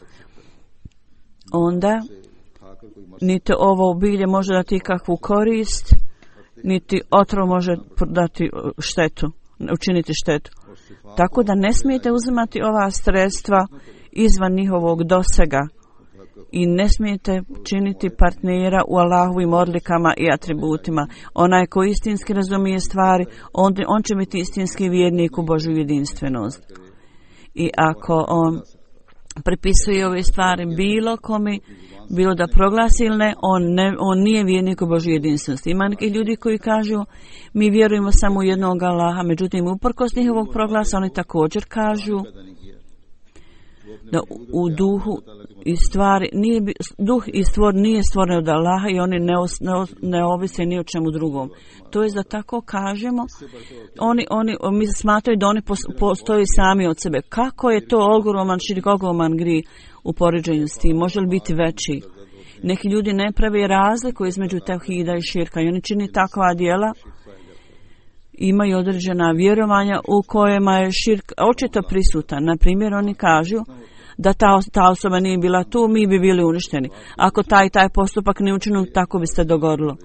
onda
खाकर कोई मर
niti ovo bilje može dati kakvu korist, niti otrov može dati štetu, učiniti štetu. Tako da ne smijete uzimati ova sredstva izvan njihovog dosega i ne smijete činiti partnera u Allahovim odlikama i atributima. Onaj ko istinski razumije stvari, on će biti istinski vjernik u Božju jedinstvenost. I ako on pripisuje ove stvari bilo kome, bilo da proglasi ili ne, on nije vjernik u Božju jedinstvenost. Ima neki ljudi koji kažu mi vjerujemo samo u jednog Allaha, međutim uprkos njihovog proglasa oni također kažu da u duhu i stvari duh i stvor nije stvoren od Allaha i oni ne ovise ni o čemu drugom. To je da tako kažemo, mi smatraju da oni postoji sami od sebe. Kako je to ogroman širik, ogroman grijeh u poređenju s tim? Može li biti veći? Neki ljudi ne prave razliku između tevhida i širka i oni čini takva djela, imaju određena vjerovanja u kojima je širk očito prisutan. Na primjer, oni kažu da ta osoba nije bila tu, mi bi bili uništeni. Ako taj postupak ne učinu, tako bi se dogodilo.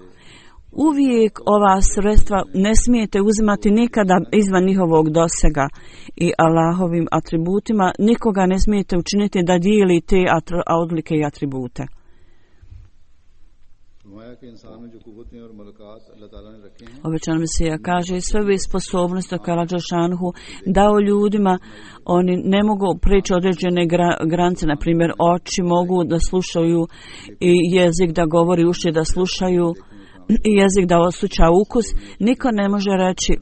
Uvijek ova sredstva ne smijete uzimati nikada izvan njihovog dosega i Allahovim atributima nikoga ne smijete učiniti da dijeli te odlike i atribute. Obećan Mesija kaže, sve ove sposobnosti koje Allah dželešanohu dao ljudima, oni ne mogu prijeći određene granice, na primjer oči mogu da slušaju i jezik da govori, uši da slušaju i jezik da osjeća ukus. Niko ne može reći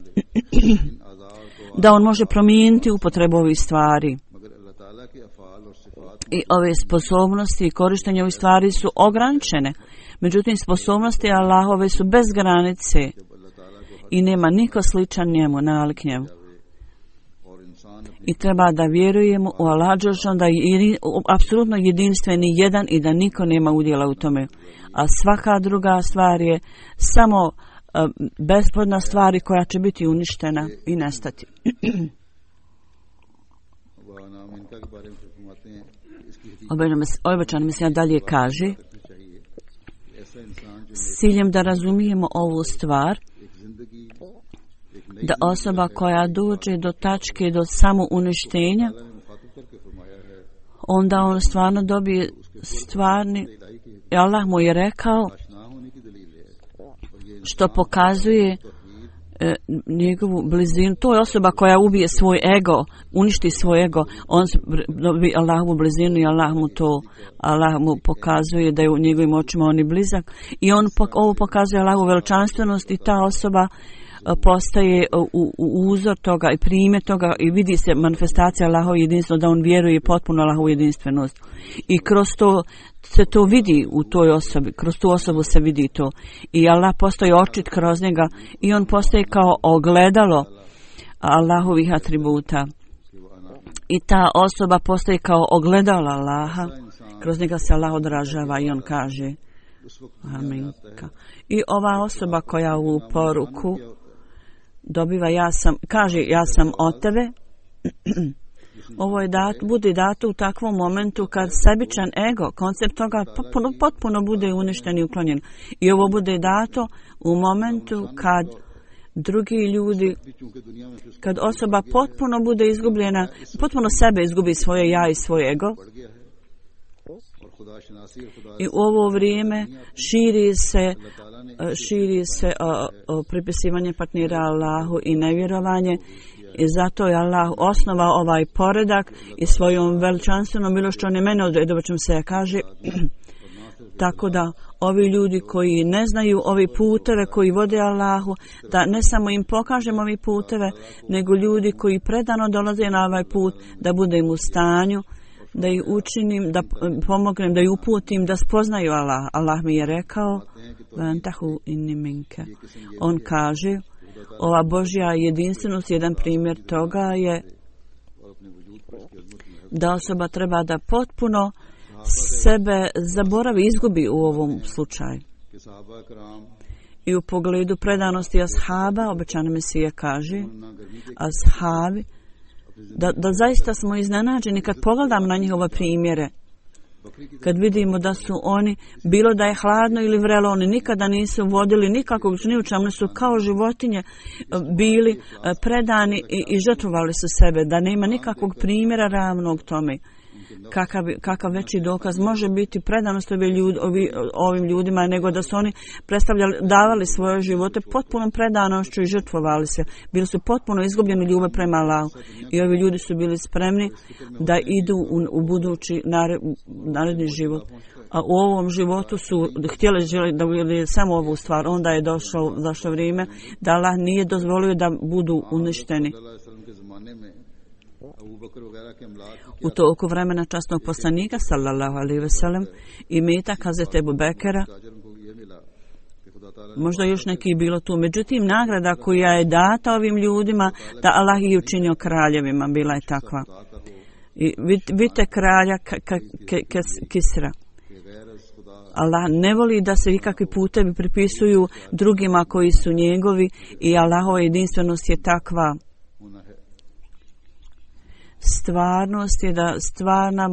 da on može promijeniti upotrebu ovih stvari. I ove sposobnosti i korištenje ovih stvari su ograničene. Međutim, sposobnosti Allahove su bez granice i nema niko sličan njemu, nalik njemu. I treba da vjerujemo u Allah dželešanohu da je apsolutno jedinstveni jedan i da niko nema udjela u tome. A svaka druga stvar je samo besplodna stvar koja će biti uništena i nestati. Obećan Mesija dalje kaže, s ciljem da razumijemo ovu stvar, da osoba koja dođe do tačke, do samouništenja, onda on stvarno dobije stvarni, Allah mu je rekao, što pokazuje njegovu blizinu. To je osoba koja ubije svoj ego, uništi svoj ego, on dobije Allahovu blizinu i Allah mu pokazuje da je u njegovim očima on je blizak i ovo pokazuje Allahovu veličanstvenost i ta osoba postaje uzor toga i primjer toga i vidi se manifestacija Allahove jedinstvenosti, da on vjeruje potpuno Allahovu jedinstvenost. I kroz to se to vidi u toj osobi, kroz tu osobu se vidi to. I Allah postaje očit kroz njega i on postaje kao ogledalo Allahovih atributa. I ta osoba postaje kao ogledalo Allaha, kroz njega se Allah odražava i on kaže amin. I ova osoba koja u poruku dobiva ja sam od tebe, ovo je bude dato u takvom momentu kad sebičan ego, koncept toga potpuno bude uništen i uklonjen. I ovo bude dato u momentu kad drugi ljudi, kad osoba potpuno bude izgubljena, potpuno sebe izgubi svoje ja i svoj ego. I u ovo vrijeme širi se pripisivanje partnera Allahu i nevjerovanje. I zato je Allah osnovao ovaj poredak i svojom veličanstvenom milošću on je mene odredio, pa ćemo se kaže. Tako da ovi ljudi koji ne znaju ovi puteve koji vode Allahu, da ne samo im pokažemo ovi puteve, nego ljudi koji predano dolaze na ovaj put, da budem u stanju, da ih učinim, da pomognem, da ih uputim, da spoznaju Allah. Allah mi je rekao, on kaže, ova Božja jedinstvenost, jedan primjer toga je da osoba treba da potpuno sebe zaboravi, izgubi u ovom slučaju. I u pogledu predanosti ashaba, obećani Mesija kaže, ashabi, da zaista smo iznenađeni kad pogledam na njihove primjere. Kad vidimo da su oni, bilo da je hladno ili vrelo, oni nikada nisu vodili nikakvog ni u čemu, su kao životinje bili predani i žrtvovali su sebe, da nema nikakvog primjera ravnog tome. Kakav veći dokaz može biti predanost ovim ljudima nego da su oni davali svoje živote potpunom predanošću i žrtvovali se. Bili su potpuno izgubljeni ljubav prema Allahu. I ovi ljudi su bili spremni da idu u budući naredni život. A u ovom životu su htjeli da vidjeli samo ovu stvar. Onda je došlo vrijeme da Allah nije dozvolio da budu uništeni. U toku vremena časnog poslanika sallallahu alejhi ve sellem i metak Hazreti Ebu Bekera, možda još neki bilo tu. Međutim, nagrada koja je data ovim ljudima, da Allah ih je učinio kraljevima, bila je takva. I vidite kralja Kisra. Allah ne voli da se ikakvi putevi pripisuju drugima koji su njegovi i Allahova jedinstvenost je takva. stvarnost je da stvarna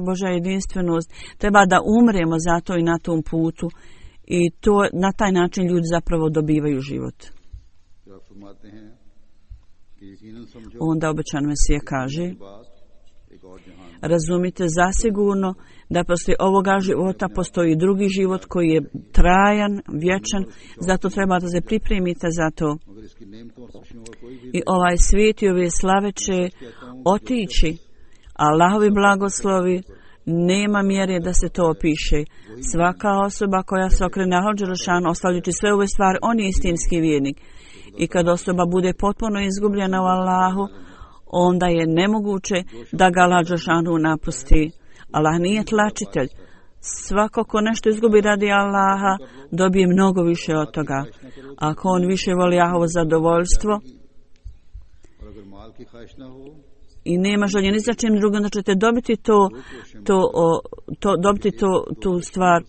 Božja jedinstvenost treba da umremo zato i na tom putu i to na taj način ljudi zapravo dobivaju život. Onda obećan Mesija kaže: razumite zasigurno da poslije ovoga života postoji drugi život koji je trajan, vječan, zato treba da se pripremite za to. I ovaj svijet i ove slave će otići, Allahovi blagoslovi nema mjere da se to opiše. Svaka osoba koja se okrene Allahu dželešanu ostavljajući sve ove stvari, on je istinski vjernik. I kad osoba bude potpuno izgubljena u Allahu, onda je nemoguće da ga Allah dželešanu napusti. Allah nije tlačitelj. Svako ko nešto izgubi radi Allaha, dobije mnogo više od toga. Ako on više voli Allahovo zadovoljstvo i nema želje ni za čim drugim, da ćete dobiti tu stvar.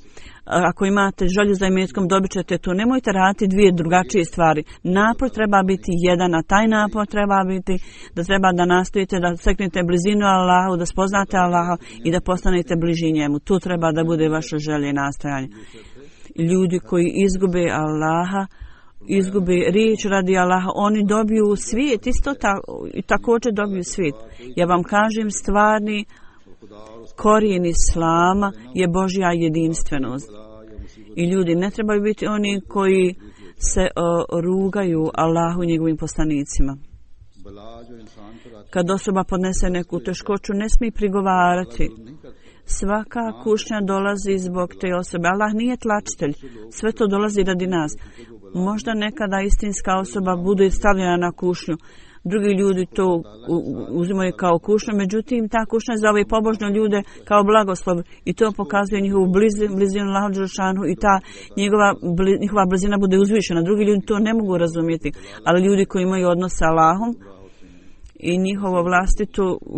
Ako imate želju za imetkom, dobit ćete to. Nemojte raditi dvije drugačije stvari. Napor treba biti jedan, a taj napor treba biti da treba da nastojite da steknete blizinu Allahu, da spoznate Allaha i da postanete bliži njemu. Tu treba da bude vaša želja i nastojanje. Ljudi koji izgube Allaha, izgube riječ radi Allaha, oni dobiju svijet, isto i također dobiju svijet. Ja vam kažem, stvarni korijen Islama je Božja jedinstvenost. I ljudi ne trebaju biti oni koji se rugaju Allahu i njegovim poslanicima. Kad osoba podnese neku teškoću, ne smije prigovarati. Svaka kušnja dolazi zbog te osobe. Allah nije tlačitelj. Sve to dolazi radi nas. Možda nekada istinska osoba bude stavljena na kušnju. Drugi ljudi to uzimaju kao kušnju, međutim ta kušnja za ove pobožne ljude kao blagoslov i to pokazuje njihovu blizinu Allahu dželešanu i ta njihova blizina bude uzvišena. Drugi ljudi to ne mogu razumjeti, ali ljudi koji imaju odnos sa Allahom i njihovo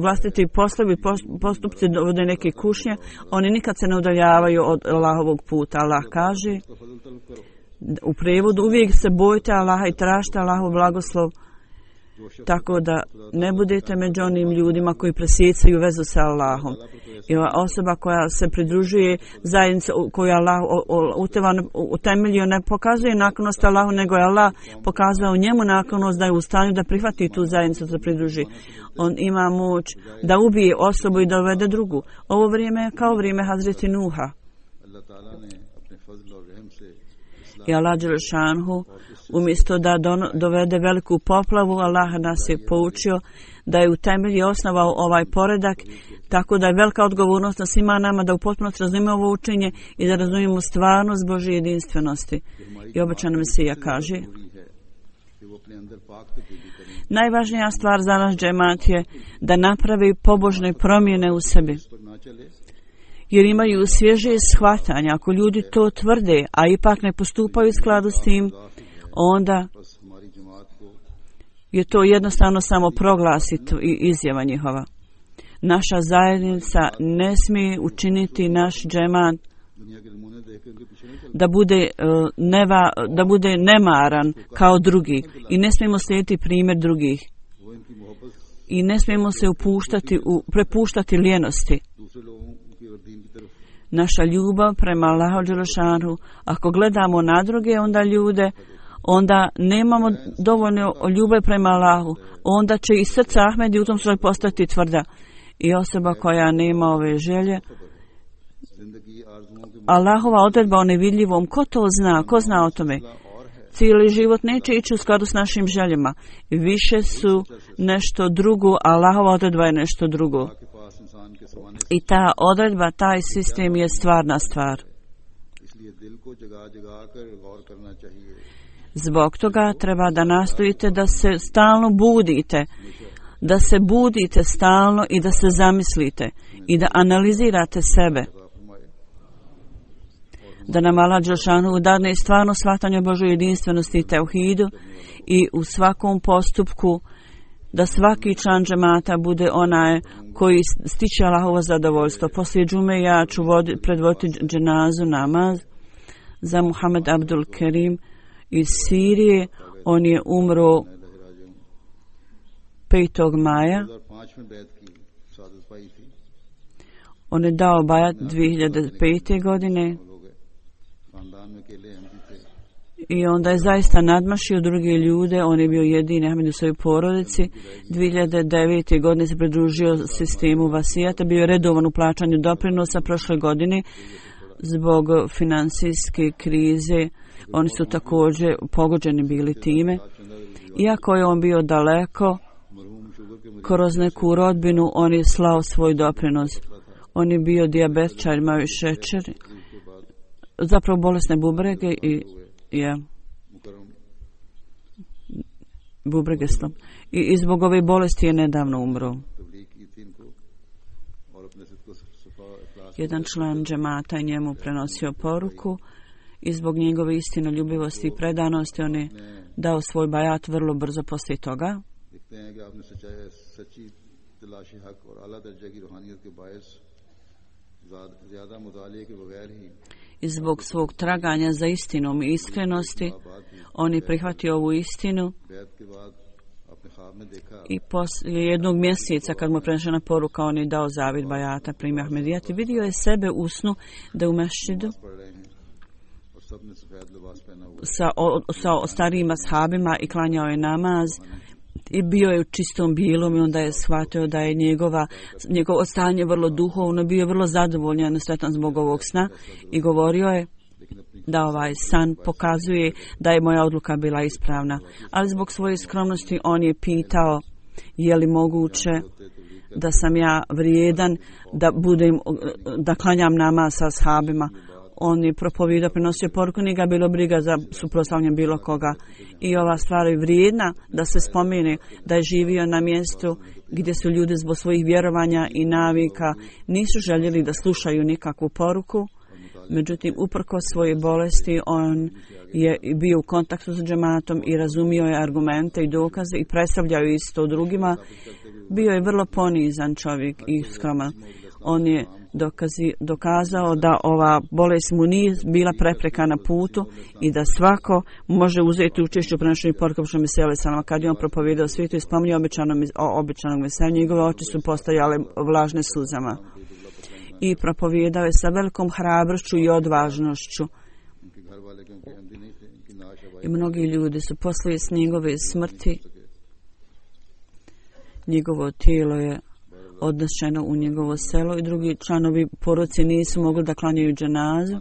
vlastiti poslovi, postupci dovode neke kušnje, oni nikad se ne udaljavaju od Allahovog puta. Allah kaže u prijevodu: uvijek se bojte Allaha i tražite Allahov blagoslov, tako da ne budete među onim ljudima koji presjecaju vezu sa Allahom. I ova osoba koja se pridružuje zajednici koju je Allah utemeljio ne pokazuje naklonost Allahu, nego je Allah pokazao njemu naklonost da je u stanju da prihvati tu zajednicu, da se pridruži. On ima moć da ubije osobu i da uvede drugu. Ovo vrijeme je kao vrijeme Hazreti Nuha. I Allah dželešanu umjesto da dovede veliku poplavu, Allah nas je poučio da je u temelji osnovao ovaj poredak, tako da je velika odgovornost na svima nama da u potpunosti razumijemo ovo učenje i da razumijemo stvarnost Božje jedinstvenosti. I obećan Mesija kaže: najvažnija stvar za naš džemat je da napravi pobožne promjene u sebi, jer imaju svježe shvatanja. Ako ljudi to tvrde, a ipak ne postupaju u skladu s tim, onda je to jednostavno samo proglasiti i izjava njihova. Naša zajednica ne smije učiniti naš džemat da bude nemaran kao drugi i ne smijemo slijediti primjer drugih i ne smijemo se prepuštati lijenosti. Naša ljubav prema Allahu dželešanu, ako gledamo na druge onda nemamo dovoljno ljubav prema Allahu, onda će i srce Ahmedi u tom slučaju postati tvrda. I osoba koja nema ove želje, Allahova odredba o nevidljivom, ko to zna, ko zna o tome? Cijeli život neće ići u skladu s našim željama. Više su nešto drugo, Allahova odredba je nešto drugo. I ta odredba, taj sistem je stvarna stvar. Zbog toga treba da nastojite da se stalno budite, da se budite stalno i da se zamislite i da analizirate sebe. Da nam Allah dželešanu dadne stvarno shvatanje o Božoj jedinstvenosti i teuhidu i u svakom postupku da svaki član džemata bude onaj koji stiče Allahovo zadovoljstvo. Poslije džume ja ću predvoditi dženazu namaz za Muhammed Abdul Kerim iz Sirije. On je umro 5. maja
सादत पाई थी
On je dao bajat 2005. godine
लोग खानदान में अकेले अहमदी थे
i onda je zaista nadmašio druge ljude. On je bio jedini Ahmed u svojoj porodici. 2009. godine se pridružio sistemu vasijata, bio je redovan u plaćanju doprinosa. Prošle godine zbog finansijske krize oni su također pogođeni bili time. Iako je on bio daleko, kroz neku rodbinu on je slao svoj doprinos. On je bio dijabetičar, imao je šećer, zapravo bolesne bubrege i bubrege slom. I zbog ove bolesti je nedavno umro. Jedan član džemata je njemu prenosio poruku i zbog njegove istinoljubivosti i predanosti on je dao svoj bajat vrlo brzo poslije toga. I zbog svog traganja za istinom i iskrenosti on je prihvatio ovu istinu i poslije jednog mjeseca kad mu je prenešena poruka on je dao zavid bajata primi Ahmedijat i vidio je sebe u snu da u mešćidu sa starijim ashabima i klanjao je namaz i bio je u čistom bilom i onda je shvatio da je njegovo stanje vrlo duhovno, bio je vrlo zadovoljan i sretan zbog ovog sna i govorio je da ovaj san pokazuje da je moja odluka bila ispravna. Ali zbog svoje skromnosti on je pitao je li moguće da sam ja vrijedan da klanjam namaz sa ashabima. On je propovijedao, prenosio poruku, nije ga bilo briga za suprotstavljanje bilo koga. I ova stvar je vrijedna da se spomene da je živio na mjestu gdje su ljudi zbog svojih vjerovanja i navika nisu željeli da slušaju nikakvu poruku. Međutim, uprkos svoje bolesti, on je bio u kontaktu s džematom i razumio je argumente i dokaze i predstavljao isto drugima. Bio je vrlo ponizan čovjek i skroman. On je dokazao da ova bolest mu nije bila prepreka na putu i da svako može uzeti učešće u prenošenju poruka što mi se salama. Kad je on propovijedao svijetu i spominjao obećanog Mesiju, njegove oči su postajale vlažne suzama. I propovijedao je sa velikom hrabrošću i odvažnošću. I mnogi ljudi su poslije s njegove smrti, njegovo tijelo je odnešeno u njegovo selo i drugi članovi porodice nisu mogli da klanjaju dženazu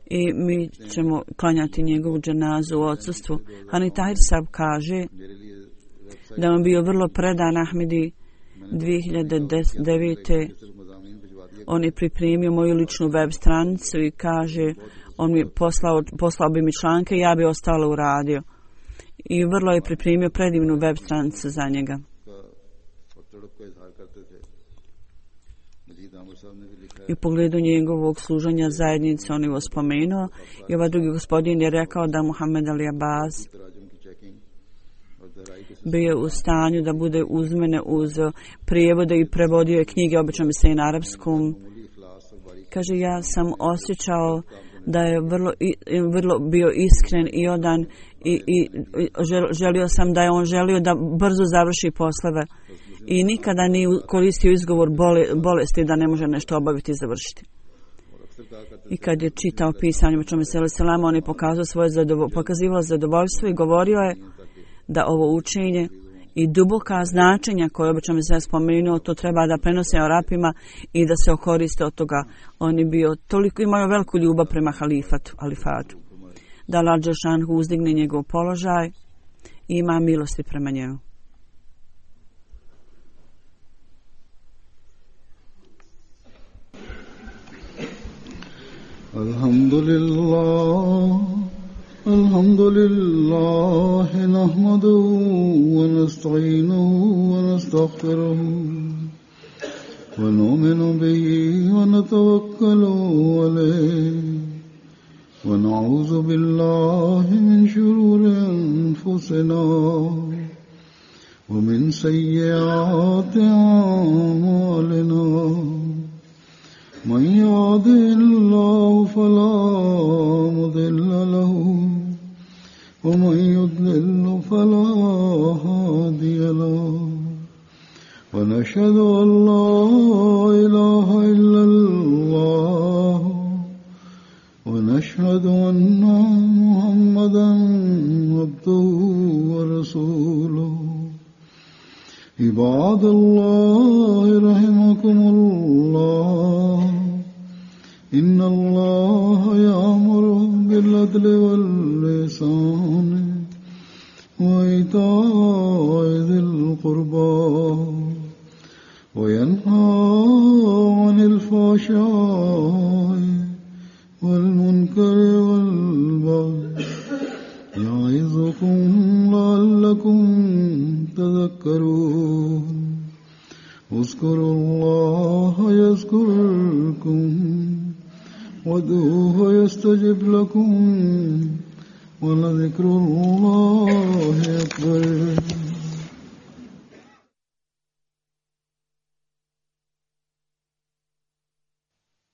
i mi ćemo klanjati njegovu dženazu u odsustvu. Hani Tahir Sab kaže da on bio vrlo predan Ahmedi. 2009. on je pripremio moju ličnu web stranicu i kaže on mi poslao bi mi članke i ja bi ostalo uradio. I vrlo je pripremio predivnu web stranicu za njega. I u pogledu njegovog služenja zajednice on je spomenuo i ovaj drugi gospodin je rekao da Muhammed Ali Abbas bio u stanju da bude uz mene uz prijevode i prevodio je knjige, obično mi se i na arapskom. Kaže, ja sam osjećao da je vrlo bio iskren i odan i želio sam da je on želio da brzo završi poslove i nikada nije koristio izgovor bolesti da ne može nešto obaviti i završiti. I kad je čitao pisanje Muhammeda sallallahu on je pokazivao zadovoljstvo i govorio je da ovo učenje i duboka značenja koje obično se spomenuo, to treba da prenose Arapima i da se okoriste od toga. On je bio toliko, imao veliku ljubav prema halifatu. Da Allah dželešanu uzdigne njegov položaj i ima milosti prema njemu.
الحمد لله نحمده ونستعينه ونستغفره ونؤمن به ونتوكل عليه ونعوذ بالله من شرور أنفسنا ومن سيئات أعمالنا من يهده الله فلا مضل له ومن يضلل فلا هادي له ونشهد أن لا إله إلا الله ونشهد أن محمدا عبده ورسوله عباد الله رحمكم الله إن الله يأمر بالعدل والإحسان وإيتاء ذي القربى وينهى عن الفحشاء والمنكر والبغي يعظكم لعلكم تذكرون اذكروا الله يذكركم وادعوه يستجب لكم ولذكر الله أكبر